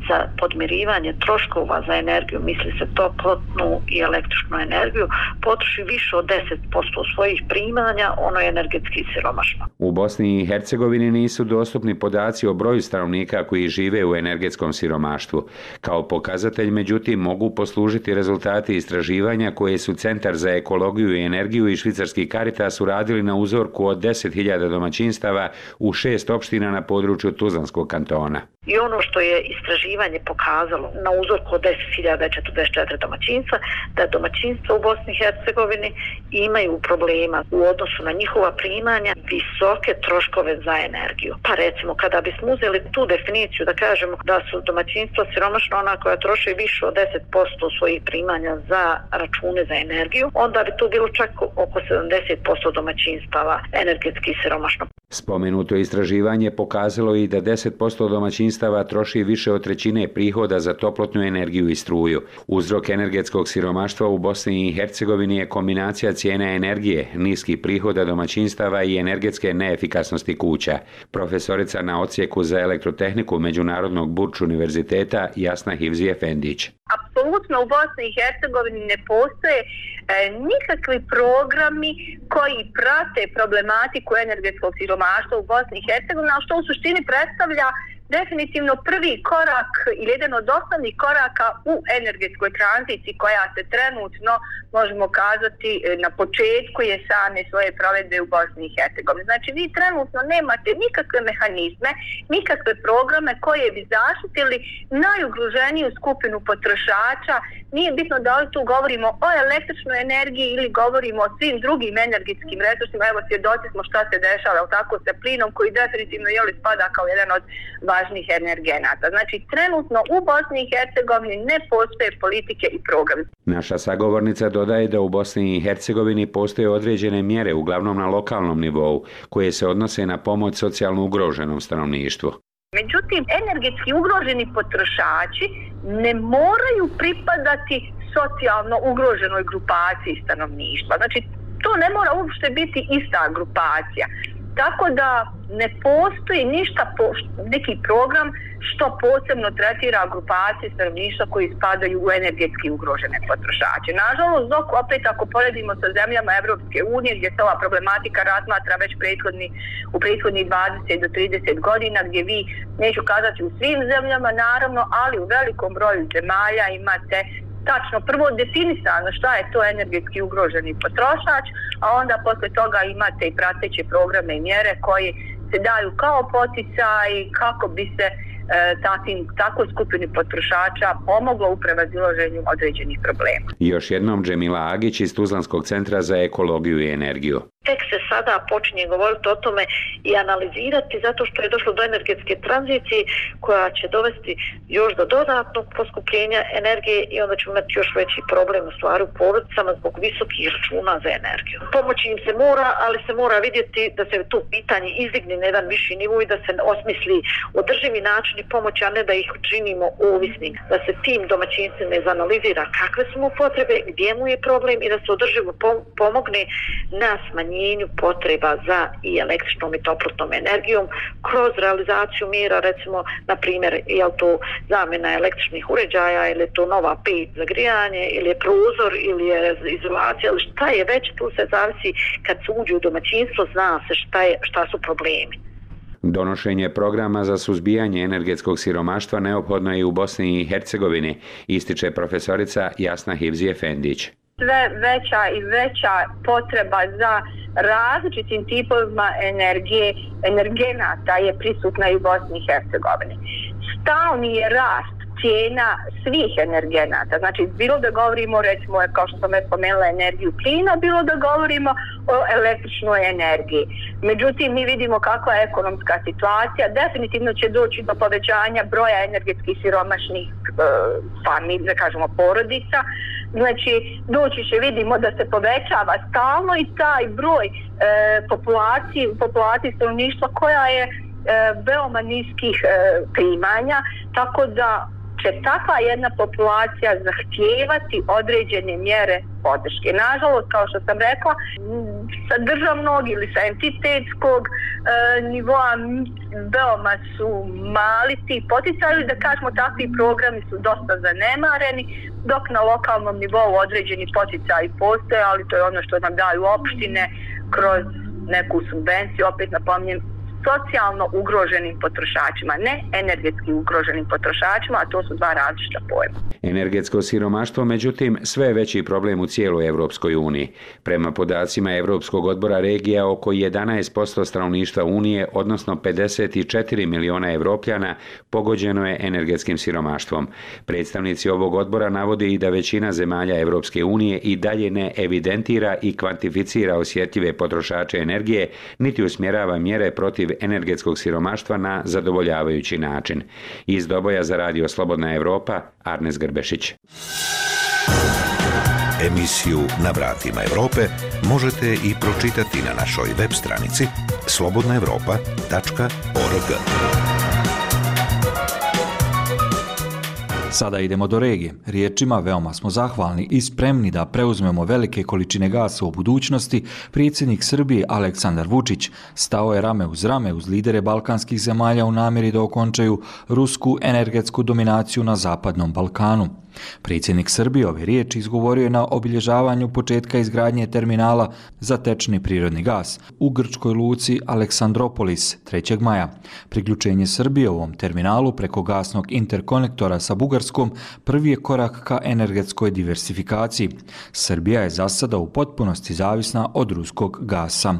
za podmirivanje troškova za energiju, misli se toplotnu i električnu energiju, potroši više od deset posto svojih primanja, ono je energetski siromašno. U Bosni i Hercegovini nisu dostupni podaci o broju stanovnika koji žive u energetskom siromaštvu. Kao pokazatelj, međutim, mogu poslužiti rezultati istraživanja koje su Centar za ekologiju i energiju i švicarski Caritas uradili na uzorku od deset hiljada domaćinstava u šest opština na području Tuzlanskog kantona. I ono što je istraživanje pokazalo na uzorku od deset hiljada četrdeset četiri domaćinstva, da domaćinstva u Bosni i Hercegovini imaju problema u odnosu na njihova primanja, visoke troškove za energiju. Pa recimo, kada bismo uzeli tu definiciju da kažemo da su domaćinstva siromašna ona koja troše više od deset posto svojih primanja za račune za energiju, onda bi tu bilo čak oko sedamdeset posto domaćinstava energetski siromašno. Spomenuto istraživanje pokazalo i da deset posto domaćinstava troši više od trećine prihoda za toplotnu energiju i struju. Uzrok energetskog siromaštva u Bosni i Hercegovini je kombinacija cijene energije, niskih prihoda domaćinstava i energetske neefikasnosti kuća. Profesorica na odsjeku za elektrotehniku Međunarodnog Burč univerziteta Jasna Hivzi Efendić. Apsolutno u Bosni i Hercegovini ne postoje e, nikakvi programi koji prate problematiku energetskog siromaštva u Bosni i Hercegovini, a što u suštini predstavlja definitivno prvi korak ili jedan od osnovnih koraka u energetskoj tranziciji koja se trenutno, možemo kazati, na početku je same svoje provedbe u Bosni i Hercegovini. Znači vi trenutno nemate nikakve mehanizme, nikakve programe koje bi zaštitili najugroženiju skupinu potrošača. Nije bitno da li tu govorimo o električnoj energiji ili govorimo o svim drugim energetskim resursima. Evo, svjedoci smo šta se dešava tako sa plinom koji definitivno jeli spada kao jedan od važnih energenata. Znači, trenutno u Bosni i Hercegovini ne postoje politike i programi. Naša sagovornica dodaje da u Bosni i Hercegovini postoje određene mjere, uglavnom na lokalnom nivou, koje se odnose na pomoć socijalno ugroženom stanovništvu. Međutim, energetski ugroženi potrošači ne moraju pripadati socijalno ugroženoj grupaciji stanovništva. Znači, to ne mora uopšte biti ista grupacija. Tako da ne postoji ništa, neki program što posebno tretira grupacije stanovništva koji spadaju u energetski ugrožene potrošače. Nažalost, dok opet ako poredimo sa zemljama Evropske unije gdje se ova problematika razmatra već prethodni, u prethodnih dvadeset do trideset godina, gdje vi, neću kazati u svim zemljama naravno, ali u velikom broju zemalja imate tačno prvo definisano šta je to energetski ugroženi potrošač, a onda posle toga imate i prateće programe i mjere koji se daju kao poticaj kako bi se e, takvim, takvoj skupini potrošača pomoglo u prevazilaženju određenih problema. I još jednom Džemila Agić iz Tuzlanskog centra za ekologiju i energiju. Tek se sada počinje govoriti o tome i analizirati zato što je došlo do energetske tranzicije koja će dovesti još do dodatnog poskupljenja energije i onda ćemo imati još veći problem u stvari u porodicama zbog visokih računa za energiju. Pomoći im se mora, ali se mora vidjeti da se to pitanje izdigne na jedan viši nivo i da se osmisli održivi načini pomoći, a ne da ih činimo ovisnim. Da se tim domaćinstvima izanalizira kakve su mu potrebe, gdje mu je problem i da se održivo pomogne na smanjenju potreba za i električnom i toplotnom energijom kroz realizaciju mjera, recimo, na primjer, je li to zamjena električnih uređaja ili je to nova peć za grijanje ili je prozor ili je izolacija ili šta je već, tu se zavisi kad se uđe u domaćinstvo, zna se šta, je, šta su problemi. Donošenje programa za suzbijanje energetskog siromaštva neophodno je i u Bosni i Hercegovini, ističe profesorica Jasna Hivzi Efendić. Sve veća i veća potreba za različitim tipovima energije, energenata je prisutna i u Bosni i Hercegovini. Stalni je rast cijena svih energenata. Znači, bilo da govorimo, recimo, kao što sam već spomenula, energiju plina, bilo da govorimo o električnoj energiji. Međutim, mi vidimo kakva je ekonomska situacija. Definitivno će doći do povećanja broja energetskih siromašnih e, familija, da kažemo, porodica. Znači, doći će, vidimo da se povećava stalno i taj broj e, populacije, populacije stanovništva koja je e, veoma niskih e, primanja, tako da će takva jedna populacija zahtijevati određene mjere podrške. Nažalost, kao što sam rekla, sa državnog ili sa entitetskog e, nivoa veoma su mali ti poticaji, da kažemo takvi programi su dosta zanemareni, dok na lokalnom nivou određeni poticaji postoje, ali to je ono što nam daju opštine kroz neku subvenciju, opet napominjem, socijalno ugroženim potrošačima, ne energetski ugroženim potrošačima, a to su dva različita pojma. Energetsko siromaštvo, međutim, sve je veći problem u cijeloj Evropskoj uniji. Prema podacima Evropskog odbora regija, oko jedanaest posto stanovništva Unije, odnosno pedeset četiri miliona Evropljana, pogođeno je energetskim siromaštvom. Predstavnici ovog odbora navode i da većina zemalja Evropske unije i dalje ne evidentira i kvantificira osjetljive potrošače energije, niti usmjerava mjere protiv energetskog siromaštva na zadovoljavajući način. Iz Doboja za Radio Slobodna Evropa, Arnes Grbešić. Emisiju Na vratima Evrope možete i pročitati na našoj web stranici slobodna evropa tačka org. Sada idemo do regije. Riječima veoma smo zahvalni i spremni da preuzmemo velike količine gasa u budućnosti. Predsjednik Srbije Aleksandar Vučić stao je rame uz rame uz lidere balkanskih zemalja u namjeri da okončaju rusku energetsku dominaciju na Zapadnom Balkanu. Predsjednik Srbije ove riječi izgovorio je na obilježavanju početka izgradnje terminala za tečni prirodni gas u grčkoj luci Aleksandropolis trećeg maja. Priključenje Srbije ovom terminalu preko gasnog interkonektora sa Bugarskom prvi je korak ka energetskoj diversifikaciji. Srbija je za sada u potpunosti zavisna od ruskog gasa.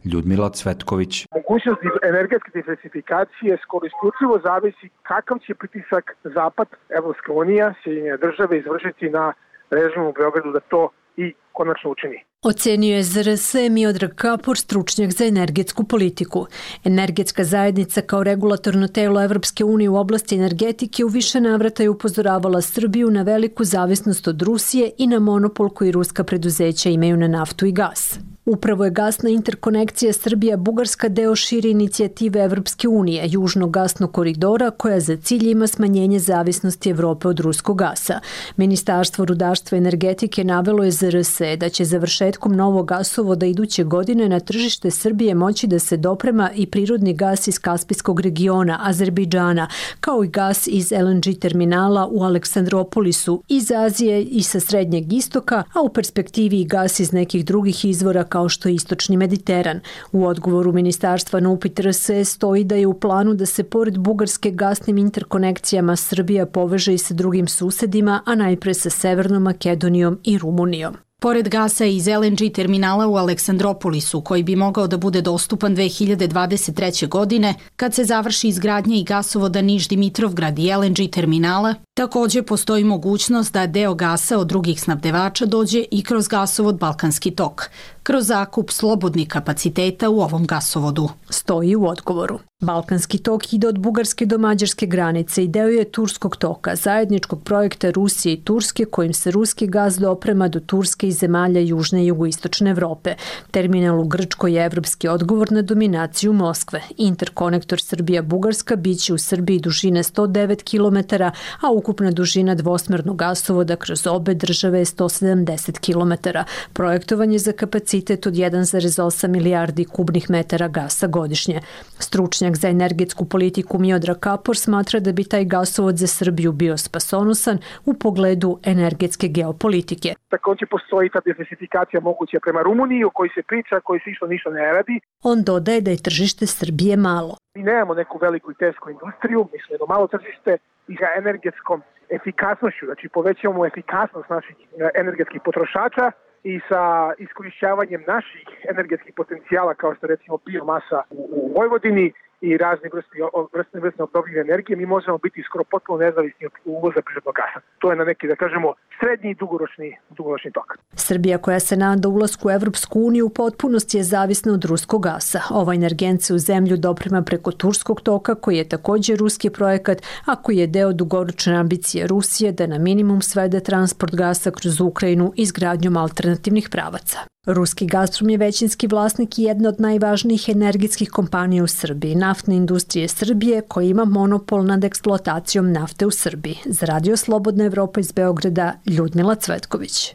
Ljudmila Cvetković. Mogućnost energetske diversifikacije skoro isključivo zavisi kakav će pritisak Zapad, Evropska unija, Sjedinjene države izvršiti na režim u Beogradu da to i konačno učini. Ocenio je Z R S Miodrag Kapor, stručnjak za energetsku politiku. Energetska zajednica kao regulatorno telo Evropske unije u oblasti energetike u više navrata je upozoravala Srbiju na veliku zavisnost od Rusije i na monopol koji ruska preduzeća imaju na naftu i gas. Upravo je gasna interkonekcija Srbija-Bugarska deo šire inicijative Evropske unije, južnog gasnog koridora, koja za cilj ima smanjenje zavisnosti Evrope od ruskog gasa. Ministarstvo rudarstva i energetike navelo je Z R S da će završetkom novog gasovoda iduće godine na tržište Srbije moći da se doprema i prirodni gas iz Kaspijskog regiona, Azerbejdžana, kao i gas iz L N G terminala u Aleksandropolisu, iz Azije i sa Srednjeg istoka, a u perspektivi i gas iz nekih drugih izvora kao što je Istočni Mediteran. U odgovoru ministarstva na upit R S E stoji da je u planu da se pored Bugarske gasnim interkonekcijama Srbija poveže i sa drugim susedima, a najpre sa Severnom Makedonijom i Rumunijom. Pored gasa iz L N G terminala u Aleksandropolisu, koji bi mogao da bude dostupan dve hiljade dvadeset treće. godine, kad se završi izgradnja i gasovoda Niš-Dimitrovgrad i L N G terminala, također postoji mogućnost da deo gasa od drugih snabdevača dođe i kroz gasovod Balkanski tok, kroz zakup slobodnih kapaciteta u ovom gasovodu. Stoji u odgovoru. Balkanski tok ide od Bugarske do Mađarske granice i deo je Turskog toka, zajedničkog projekta Rusije i Turske, kojim se ruski gaz doprema do Turske i zemalja južne i jugoistočne Evrope. Terminal u Grčkoj je evropski odgovor na dominaciju Moskve. Interkonektor Srbija-Bugarska biće u Srbiji dužine sto devet kilometara, a ukupna dužina dvosmernog gasovoda kroz obe države je sto sedamdeset kilometara. Projektovan je za kapacitet od jedan zarez osam milijardi kubnih metara gasa godišnje. Stručnjak za energetsku politiku Miodrag Kapor smatra da bi taj gasovod za Srbiju bio spasonosan u pogledu energetske geopolitike. Također postoji ta diversifikacija moguća prema Rumuniji, o kojoj se priča, koji se isto ništa ne radi. On dodaje da je tržište Srbije malo. Mi nemamo neku veliku i tesku industriju, mi smo jedno malo tržište i za energetskom efikasnošću, znači povećavamo efikasnost naših energetskih potrošača i sa iskorišćavanjem naših energetskih potencijala kao što recimo biomasa u Vojvodini i razne vrste, vrste, vrste obnovljive energije, mi možemo biti skoro potpuno nezavisni od uvoza prirodnog gasa. To je na neki, da kažemo, srednji i dugoročni, dugoročni tok. Srbija, koja se nada ulasku u Evropsku uniju, u potpunosti je zavisna od ruskog gasa. Ovaj energent se u zemlju doprema preko Turskog toka, koji je također ruski projekat, a koji je deo dugoročne ambicije Rusije da na minimum svede transport gasa kroz Ukrajinu izgradnjom alternativnih pravaca. Ruski Gazprom je većinski vlasnik i jedna od najvažnijih energetskih kompanija u Srbiji, Naftne industrije Srbije, koja ima monopol nad eksploatacijom nafte u Srbiji. Za Radio Slobodna Evropa iz Beograda, Ljudmila Cvetković.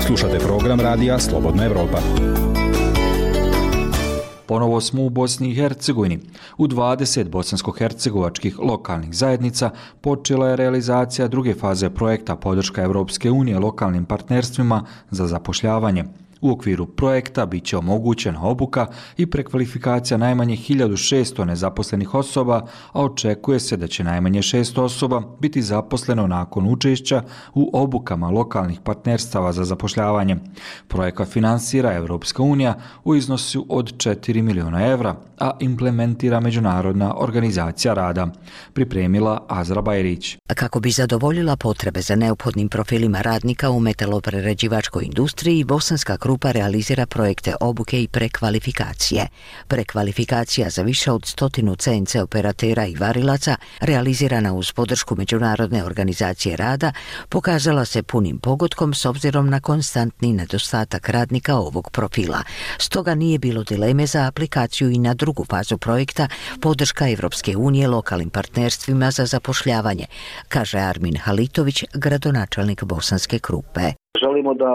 Slušate program Radija Slobodna Evropa. Ponovo smo u Bosni i Hercegovini. U dvadeset bosansko-hercegovačkih lokalnih zajednica počela je realizacija druge faze projekta podrška Evropske unije lokalnim partnerstvima za zapošljavanje. U okviru projekta bit će omogućena obuka i prekvalifikacija najmanje hiljadu šesto nezaposlenih osoba, a očekuje se da će najmanje šesto osoba biti zaposleno nakon učešća u obukama lokalnih partnerstava za zapošljavanje. Projekat finansira Evropska unija u iznosu od četiri miliona evra, a implementira Međunarodna organizacija rada. Pripremila Azra Bajrić. Kako bi zadovoljila potrebe za neophodnim profilima radnika u metaloprerađivačkoj industriji, Bosanska grupa realizira projekte obuke i prekvalifikacije. Prekvalifikacija za više od stotinu C N C operatera i varilaca, realizirana uz podršku Međunarodne organizacije rada, pokazala se punim pogodkom s obzirom na konstantni nedostatak radnika ovog profila. Stoga nije bilo dileme za aplikaciju i na drugu fazu projekta podrška Evropske unije lokalnim partnerstvima za zapošljavanje, kaže Armin Halitović, gradonačelnik Bosanske grupe. Želimo da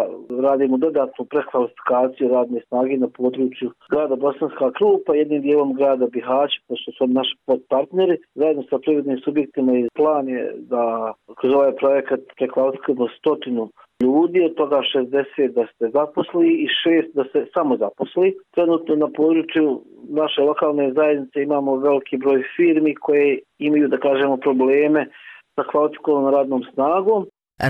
radimo dodatnu prekvalifikaciju radne snage na području grada Bosanska Krupa, jednim dijelom grada Bihać, pošto su naši podpartneri. Zajedno sa privrednim subjektima i plan je da kroz ovaj projekat prekvalifikujemo stotinu ljudi, od toga šezdeset da se zaposli i šest da se samo zaposli. Trenutno na području naše lokalne zajednice imamo veliki broj firmi koje imaju, da kažemo, probleme sa kvalifikovanom radnom snagom.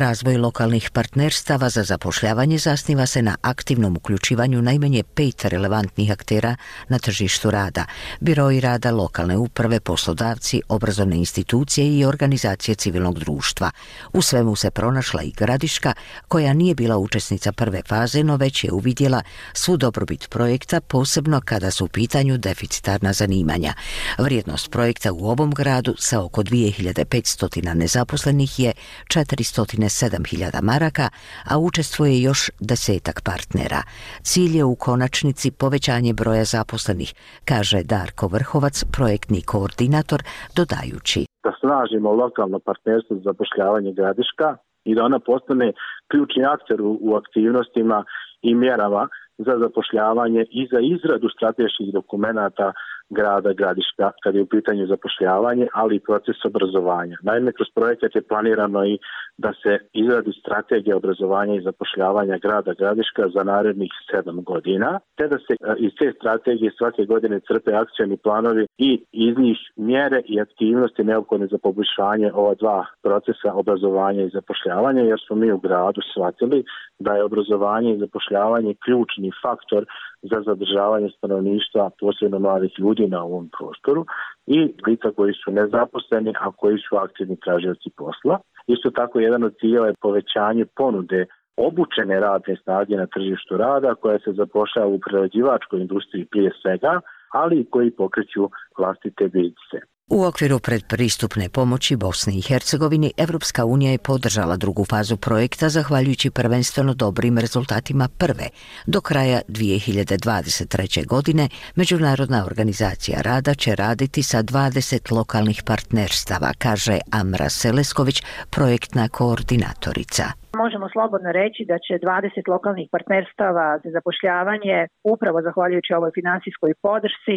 Razvoj lokalnih partnerstava za zapošljavanje zasniva se na aktivnom uključivanju najmanje pet relevantnih aktera na tržištu rada, biroi rada, lokalne uprave, poslodavci, obrazovne institucije i organizacije civilnog društva. U svemu se pronašla i Gradiška, koja nije bila učesnica prve faze, no već je uvidjela svu dobrobit projekta, posebno kada su u pitanju deficitarna zanimanja. Vrijednost projekta u ovom gradu sa oko dvije hiljade petsto nezaposlenih je četiristo sedam hiljada maraka, a učestvuje još desetak partnera. Cilj je u konačnici povećanje broja zaposlenih, kaže Darko Vrhovac, projektni koordinator, dodajući: Da snažimo lokalno partnerstvo za zapošljavanje Gradiška i da ona postane ključni akter u, u aktivnostima i mjerama za zapošljavanje i za izradu strateških dokumenata grada Gradiška kad je u pitanju zapošljavanje, ali i proces obrazovanja. Naime, kroz projekat je planirano i da se izradi strategija obrazovanja i zapošljavanja grada Gradiška za narednih sedam godina, te da se iz te strategije svake godine crpe akcioni planovi i iz njih mjere i aktivnosti neophodne za poboljšanje ova dva procesa obrazovanja i zapošljavanja, jer smo mi u gradu shvatili da je obrazovanje i zapošljavanje ključni faktor za zadržavanje stanovništva, posebno mladih ljudi na ovom prostoru i lica koji su nezaposleni, a koji su aktivni tražioci posla. Isto tako, jedan od ciljeva je povećanje ponude obučene radne snage na tržištu rada koja se zapošljava u prerađivačkoj industriji prije svega, ali i koji pokreću vlastite biznise. U okviru predpristupne pomoći Bosni i Hercegovini, Evropska unija je podržala drugu fazu projekta zahvaljujući prvenstveno dobrim rezultatima prve. Do kraja dvije hiljade dvadeset treće. godine Međunarodna organizacija rada će raditi sa dvadeset lokalnih partnerstava, kaže Amra Selesković, projektna koordinatorica. Možemo slobodno reći da će dvadeset lokalnih partnerstava za zapošljavanje, upravo zahvaljujući ovoj finansijskoj podršci,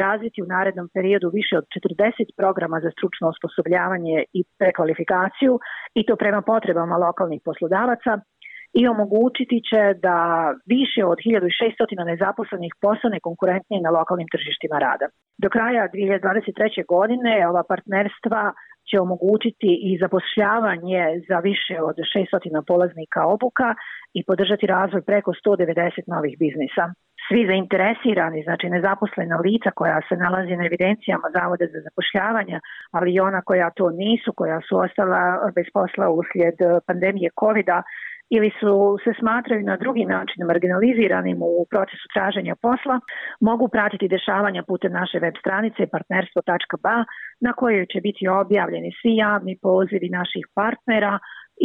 razviti u narednom periodu više od četrdeset programa za stručno osposobljavanje i prekvalifikaciju, i to prema potrebama lokalnih poslodavaca, i omogućiti će da više od hiljadu šesto nezaposlenih postane konkurentnije na lokalnim tržištima rada. Do kraja dvije hiljade dvadeset treće. godine ova partnerstva će omogućiti i zapošljavanje za više od šesto polaznika obuka i podržati razvoj preko sto devedeset novih biznisa. svi zainteresirani, znači nezaposlena lica koja se nalazi na evidencijama Zavoda za zapošljavanje, ali i ona koja to nisu, koja su ostala bez posla uslijed pandemije kovida ili su se smatraju na drugi način marginaliziranim u procesu traženja posla, mogu pratiti dešavanja putem naše web stranice partnerstvo tačka ba na kojoj će biti objavljeni svi javni pozivi naših partnera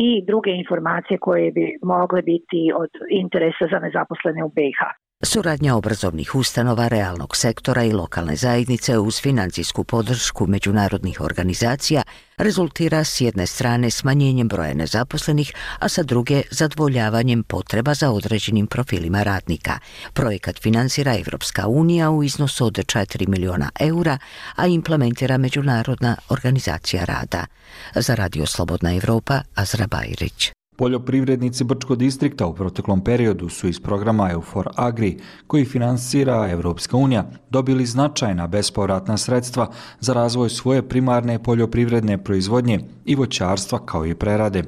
i druge informacije koje bi mogle biti od interesa za nezaposlene u B i H. Suradnja obrazovnih ustanova, realnog sektora i lokalne zajednice uz financijsku podršku međunarodnih organizacija rezultira s jedne strane smanjenjem broja nezaposlenih, a sa druge zadovoljavanjem potreba za određenim profilima radnika. Projekat finansira Evropska unija u iznosu od četiri miliona eura, a implementira Međunarodna organizacija rada. Za Radio Slobodna Evropa, Azra Bajrić. Poljoprivrednici Brčkog distrikta u proteklom periodu su iz programa EUFOR Agri, koji finansira Evropska unija, dobili značajna bespovratna sredstva za razvoj svoje primarne poljoprivredne proizvodnje i voćarstva kao i prerade.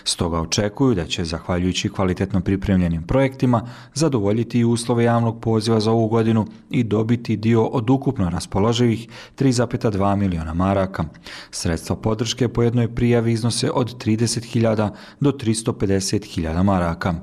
Stoga očekuju da će, zahvaljujući kvalitetno pripremljenim projektima, zadovoljiti i uslove javnog poziva za ovu godinu i dobiti dio od ukupno raspoloživih tri zarez dva miliona maraka. Sredstva podrške po jednoj prijavi iznose od trideset hiljada do tristo pedeset hiljada maraka.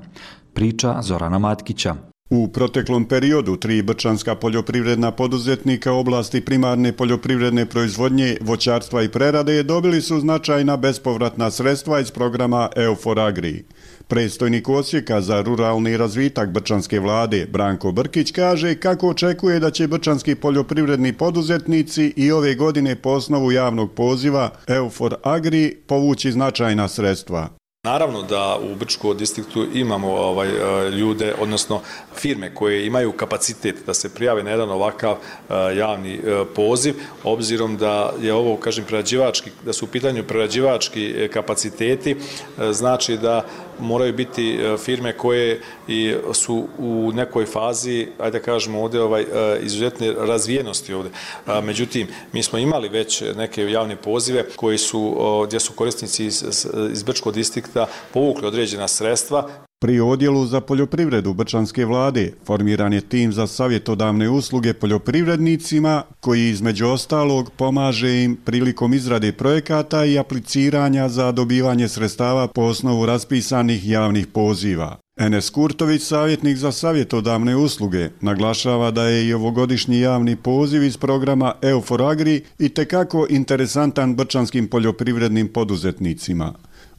Priča Zorana Matkića. U proteklom periodu tri brčanska poljoprivredna poduzetnika oblasti primarne poljoprivredne proizvodnje, voćarstva i prerade dobili su značajna bespovratna sredstva iz programa EUFOR Agri. Predstojnik Osijeka za ruralni razvitak brčanske vlade Branko Brkić kaže kako očekuje da će brčanski poljoprivredni poduzetnici i ove godine po osnovu javnog poziva EUFOR Agri povući značajna sredstva. Naravno da u Brčkom distriktu imamo ovaj, ljude, odnosno firme koje imaju kapacitet da se prijave na jedan ovakav javni poziv, obzirom da je ovo, kažem, prerađivački, da su u pitanju prerađivački kapaciteti, znači da moraju biti firme koje su u nekoj fazi, ajde da kažemo ovdje, ovaj, izuzetne razvijenosti ovdje. Međutim, mi smo imali već neke javne pozive koji su, gdje su korisnici iz, iz Brčkog distrikta povukli određena sredstva. Pri odjelu za poljoprivredu brčanske vlade formiran je tim za savjetodavne usluge poljoprivrednicima koji između ostalog pomaže im prilikom izrade projekata i apliciranja za dobivanje sredstava po osnovu raspisanih javnih poziva. Enes Kurtović, savjetnik za savjetodavne usluge, naglašava da je i ovogodišnji javni poziv iz programa EUFOR Agri itekako interesantan brčanskim poljoprivrednim poduzetnicima.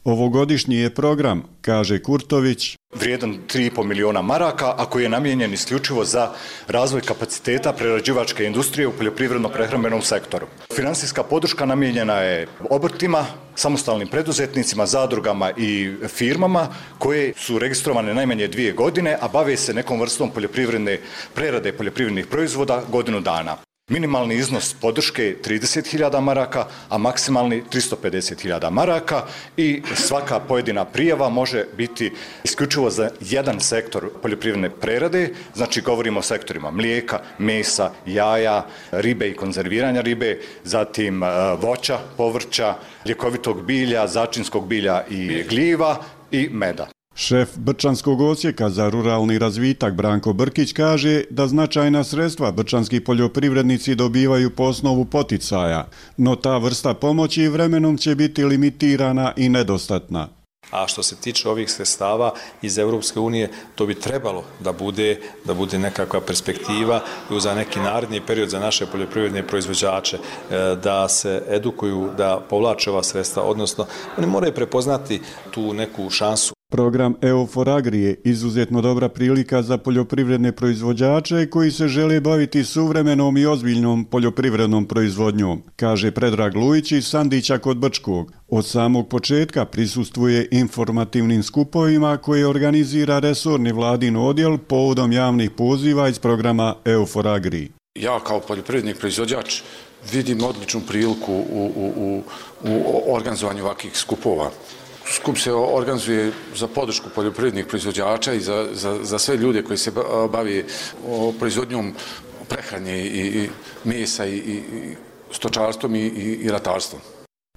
Ovogodišnji je program, kaže Kurtović, vrijedan tri i pol miliona maraka, a koji je namijenjen isključivo za razvoj kapaciteta prerađivačke industrije u poljoprivredno-prehrambenom sektoru. Finansijska podrška namijenjena je obrtima, samostalnim preduzetnicima, zadrugama i firmama koje su registrovane najmanje dvije godine, a bave se nekom vrstom poljoprivredne prerade poljoprivrednih proizvoda godinu dana. Minimalni iznos podrške je trideset hiljada maraka, a maksimalni tristo pedeset hiljada maraka i svaka pojedina prijava može biti isključivo za jedan sektor poljoprivredne prerade, znači govorimo o sektorima mlijeka, mesa, jaja, ribe i konzerviranja ribe, zatim voća, povrća, ljekovitog bilja, začinskog bilja i gljiva i meda. Šef Brčanskog odsjeka za ruralni razvitak Branko Brkić kaže da značajna sredstva brčanski poljoprivrednici dobivaju po osnovu poticaja, no ta vrsta pomoći vremenom će biti limitirana i nedostatna. A što se tiče ovih sredstava iz Evropske unije, to bi trebalo da bude, da bude nekakva perspektiva i za neki naredni period za naše poljoprivredne proizvođače, da se edukuju, da povlače ova sredstva, odnosno oni moraju prepoznati tu neku šansu. Program EUFOR Agri je izuzetno dobra prilika za poljoprivredne proizvođače koji se žele baviti suvremenom i ozbiljnom poljoprivrednom proizvodnjom, kaže Predrag Lujić iz Sandića kod Brčkog. Od samog početka prisustvuje informativnim skupovima koje organizira resorni vladin odjel povodom javnih poziva iz programa EUFOR Agri. Ja kao poljoprivredni proizvođač vidim odličnu priliku u, u, u, u organizovanju ovakvih skupova. Skup se organizuje za podršku poljoprivrednih proizvođača i za, za, za sve ljude koji se bave proizvodnjom prehrane i, i mesa i, i stočarstvom i, i, i ratarstvom.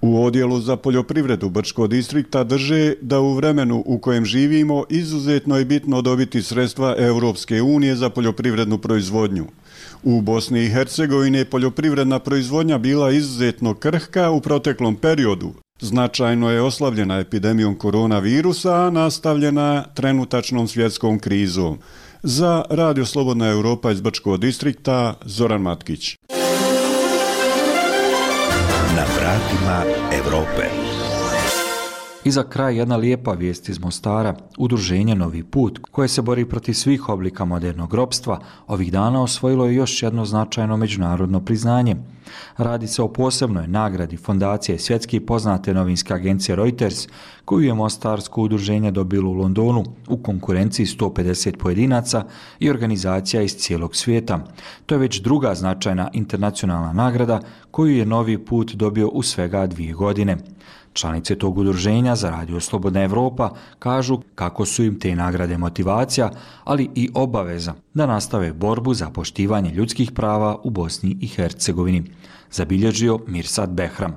U odjelu za poljoprivredu Brčkog distrikta drže da u vremenu u kojem živimo izuzetno je bitno dobiti sredstva Europske unije za poljoprivrednu proizvodnju. U Bosni i Hercegovini je poljoprivredna proizvodnja bila izuzetno krhka u proteklom periodu. Značajno je oslabljena epidemijom koronavirusa, a nastavljena trenutačnom svjetskom krizom. Za Radio Slobodna Europa iz Brčkog distrikta, Zoran Matkić. Na vratima Evrope. I za kraj jedna lijepa vijest iz Mostara. Udruženje Novi put, koje se bori protiv svih oblika modernog ropstva, ovih dana osvojilo je još jedno značajno međunarodno priznanje. Radi se o posebnoj nagradi fondacije svjetski poznate novinske agencije Reuters, koju je Mostarsko udruženje dobilo u Londonu u konkurenciji sto pedeset pojedinaca i organizacija iz cijelog svijeta. To je već druga značajna internacionalna nagrada koju je Novi put dobio u svega dvije godine. Članice tog udruženja za Radio Slobodna Evropa kažu kako su im te nagrade motivacija, ali i obaveza da nastave borbu za poštivanje ljudskih prava u Bosni i Hercegovini, zabilježio Mirsad Behram.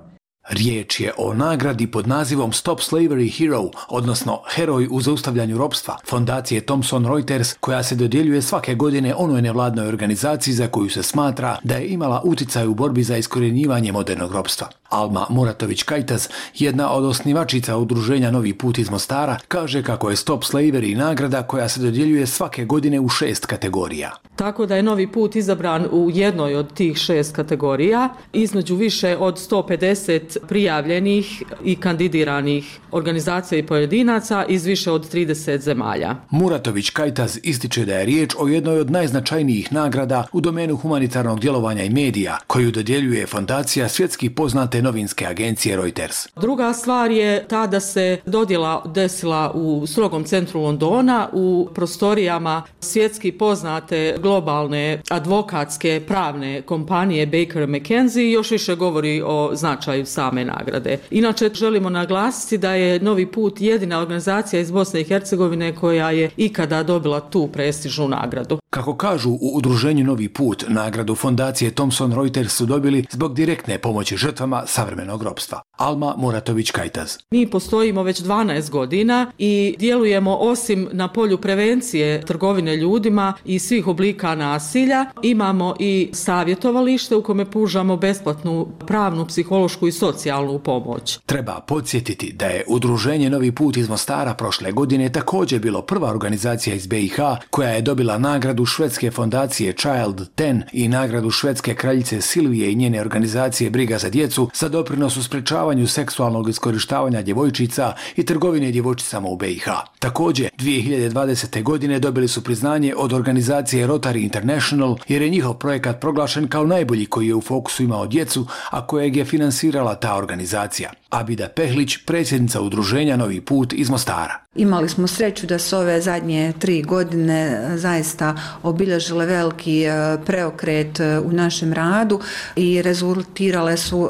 Riječ je o nagradi pod nazivom Stop Slavery Hero, odnosno Heroj u zaustavljanju ropstva, fondacije Thomson Reuters, koja se dodjeljuje svake godine onoj nevladnoj organizaciji za koju se smatra da je imala uticaj u borbi za iskorjenjivanje modernog ropstva. Alma Muratović-Kajtaz, jedna od osnivačica udruženja Novi put iz Mostara, kaže kako je Stop Slavery nagrada koja se dodjeljuje svake godine u šest kategorija. Tako da je Novi put izabran u jednoj od tih šest kategorija, između više od sto pedeset prijavljenih i kandidiranih organizacija i pojedinaca iz više od trideset zemalja. Muratović-Kajtaz ističe da je riječ o jednoj od najznačajnijih nagrada u domenu humanitarnog djelovanja i medija, koju dodjeljuje fondacija svjetski poznate novinske agencije Reuters. Druga stvar je ta da se dodjela desila u strogom centru Londona, u prostorijama svjetski poznate globalne advokatske pravne kompanije Baker and McKenzie i još više govori o značaju same nagrade. Inače, želimo naglasiti da je Novi put jedina organizacija iz Bosne i Hercegovine koja je ikada dobila tu prestižnu nagradu. Kako kažu u udruženju Novi put, nagradu fondacije Thomson Reuters su dobili zbog direktne pomoći žrtvama savremenog ropstva. Alma Muratović-Kajtaz. Mi postojimo već dvanaest godina i djelujemo osim na polju prevencije trgovine ljudima i svih oblika nasilja, imamo i savjetovalište u kome pružamo besplatnu pravnu, psihološku i socijalnu pomoć. Treba podsjetiti da je udruženje Novi put iz Mostara prošle godine također bilo prva organizacija iz be i ha koja je dobila nagradu švedske fondacije Child deset i nagradu švedske kraljice Silvije i njene organizacije Briga za djecu za doprinos u sprečavanju seksualnog iskorištavanja djevojčica i trgovine djevojčicama u be i ha. Također, dvije hiljade dvadesete. godine dobili su priznanje od organizacije Rotary International jer je njihov projekat proglašen kao najbolji koji je u fokusu imao djecu, a kojeg je finansirala ta organizacija. Abida Pehlić, predsjednica udruženja Novi put iz Mostara. Imali smo sreću da su ove zadnje tri godine zaista obilježile veliki preokret u našem radu i rezultirale su,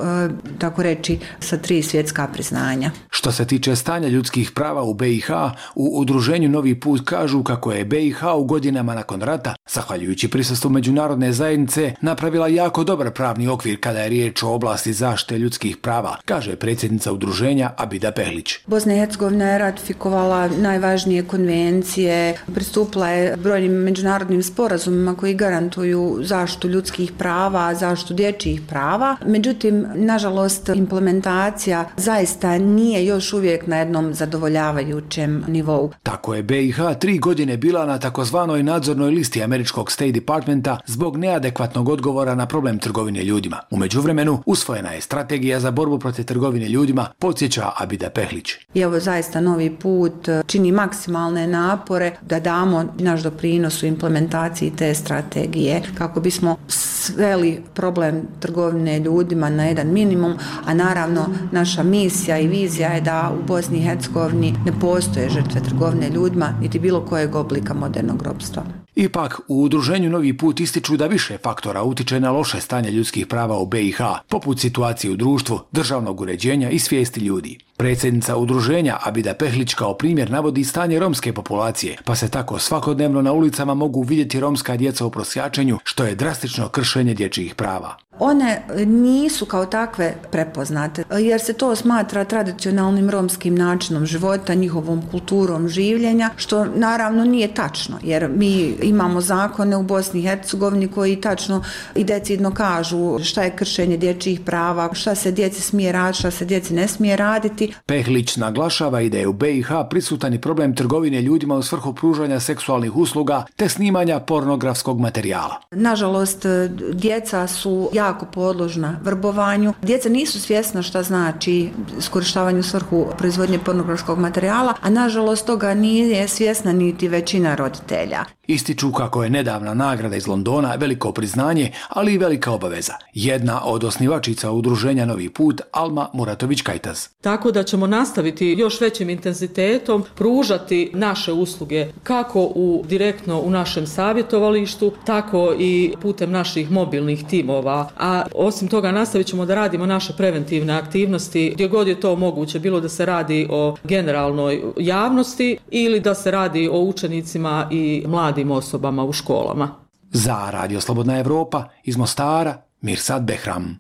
tako reći, sa tri svjetska priznanja. Što se tiče stanja ljudskih prava u be i ha, u udruženju Novi put kažu kako je be i ha u godinama nakon rata, zahvaljujući prisustvu međunarodne zajednice, napravila jako dobar pravni okvir kada je riječ o oblasti zaštite ljudskih prava, kaže predsjednica udruženja Abida Pehlić. Bosna i Hercegovina je ratifikovala najvažnije konvencije, pristupila je brojnim međunarodnim sporazumima koji garantuju zaštitu ljudskih prava, zaštitu dječjih prava. Međutim, nažalost, implementacija zaista nije još uvijek na jednom zadovoljavajućem nivou. Tako je be i ha tri godine bila na takozvanoj nadzornoj listi američkog State Departmenta zbog neadekvatnog odgovora na problem trgovine ljudima. U međuvremenu usvojena je strategija za borbu protiv trgovine ljudima, podsjeća Abida Pehlić. I evo zaista Novi put čini maksimalne napore da damo naš doprinos u implementaciji te strategije kako bismo sveli problem trgovine ljudima na jedan minimum, a naravno naša misija i vizija je da u Bosni i Hercegovini ne postoje žrtve trgovine ljudima niti bilo kojeg oblika modernog ropstva. Ipak, u udruženju Novi put ističu da više faktora utiče na loše stanje ljudskih prava u be i ha, poput situacije u društvu, državnog uređenja i svijesti ljudi. Predsjednica udruženja Abida Pehlić kao primjer navodi stanje romske populacije, pa se tako svakodnevno na ulicama mogu vidjeti romska djeca u prosjačenju, što je drastično kršenje dječjih prava. One nisu kao takve prepoznate, jer se to smatra tradicionalnim romskim načinom života, njihovom kulturom življenja, što naravno nije tačno, jer mi imamo zakone u Bosni i Hercegovini koji tačno i decidno kažu šta je kršenje dječjih prava, šta se djeci smije raditi, šta se djeci ne smije raditi. Pehlić naglašava i da je u B i H prisutan i problem trgovine ljudima u svrhu pružanja seksualnih usluga te snimanja pornografskog materijala. Nažalost, djeca su jako podložna vrbovanju. Djeca nisu svjesna šta znači iskorištavanje u svrhu proizvodnje pornografskog materijala, a nažalost toga nije svjesna niti većina roditelja. Ističu kako je nedavna nagrada iz Londona veliko priznanje, ali i velika obaveza. Jedna od osnivačica udruženja Novi put, Alma Muratović-Kajtaz. Tako da ćemo nastaviti još većim intenzitetom pružati naše usluge kako u direktno u našem savjetovalištu, tako i putem naših mobilnih timova. A osim toga nastavit ćemo da radimo naše preventivne aktivnosti gdje god je to moguće, bilo da se radi o generalnoj javnosti ili da se radi o učenicima i mladim osobama u školama. Za Radio Slobodna Evropa iz Mostara, Mirsad Behram.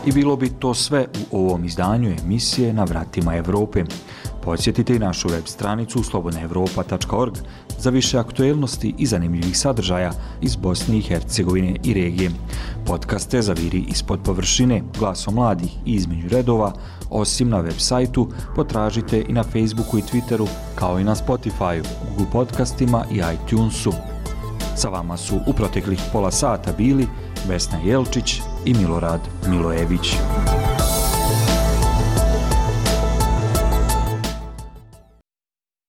I bilo bi to sve u ovom izdanju emisije Na vratima Evrope. Posjetite i našu web stranicu slobodna evropa tačka org za više aktuelnosti i zanimljivih sadržaja iz Bosne i Hercegovine i regije. Podcaste Zaviri ispod površine, Glasom mladih i Između redova, osim na web sajtu, potražite i na Facebooku i Twitteru, kao i na Spotifyu, Google podcastima i iTunesu. Sa vama su u proteklih pola sata bili Vesna Jelčić i Milorad Milojević.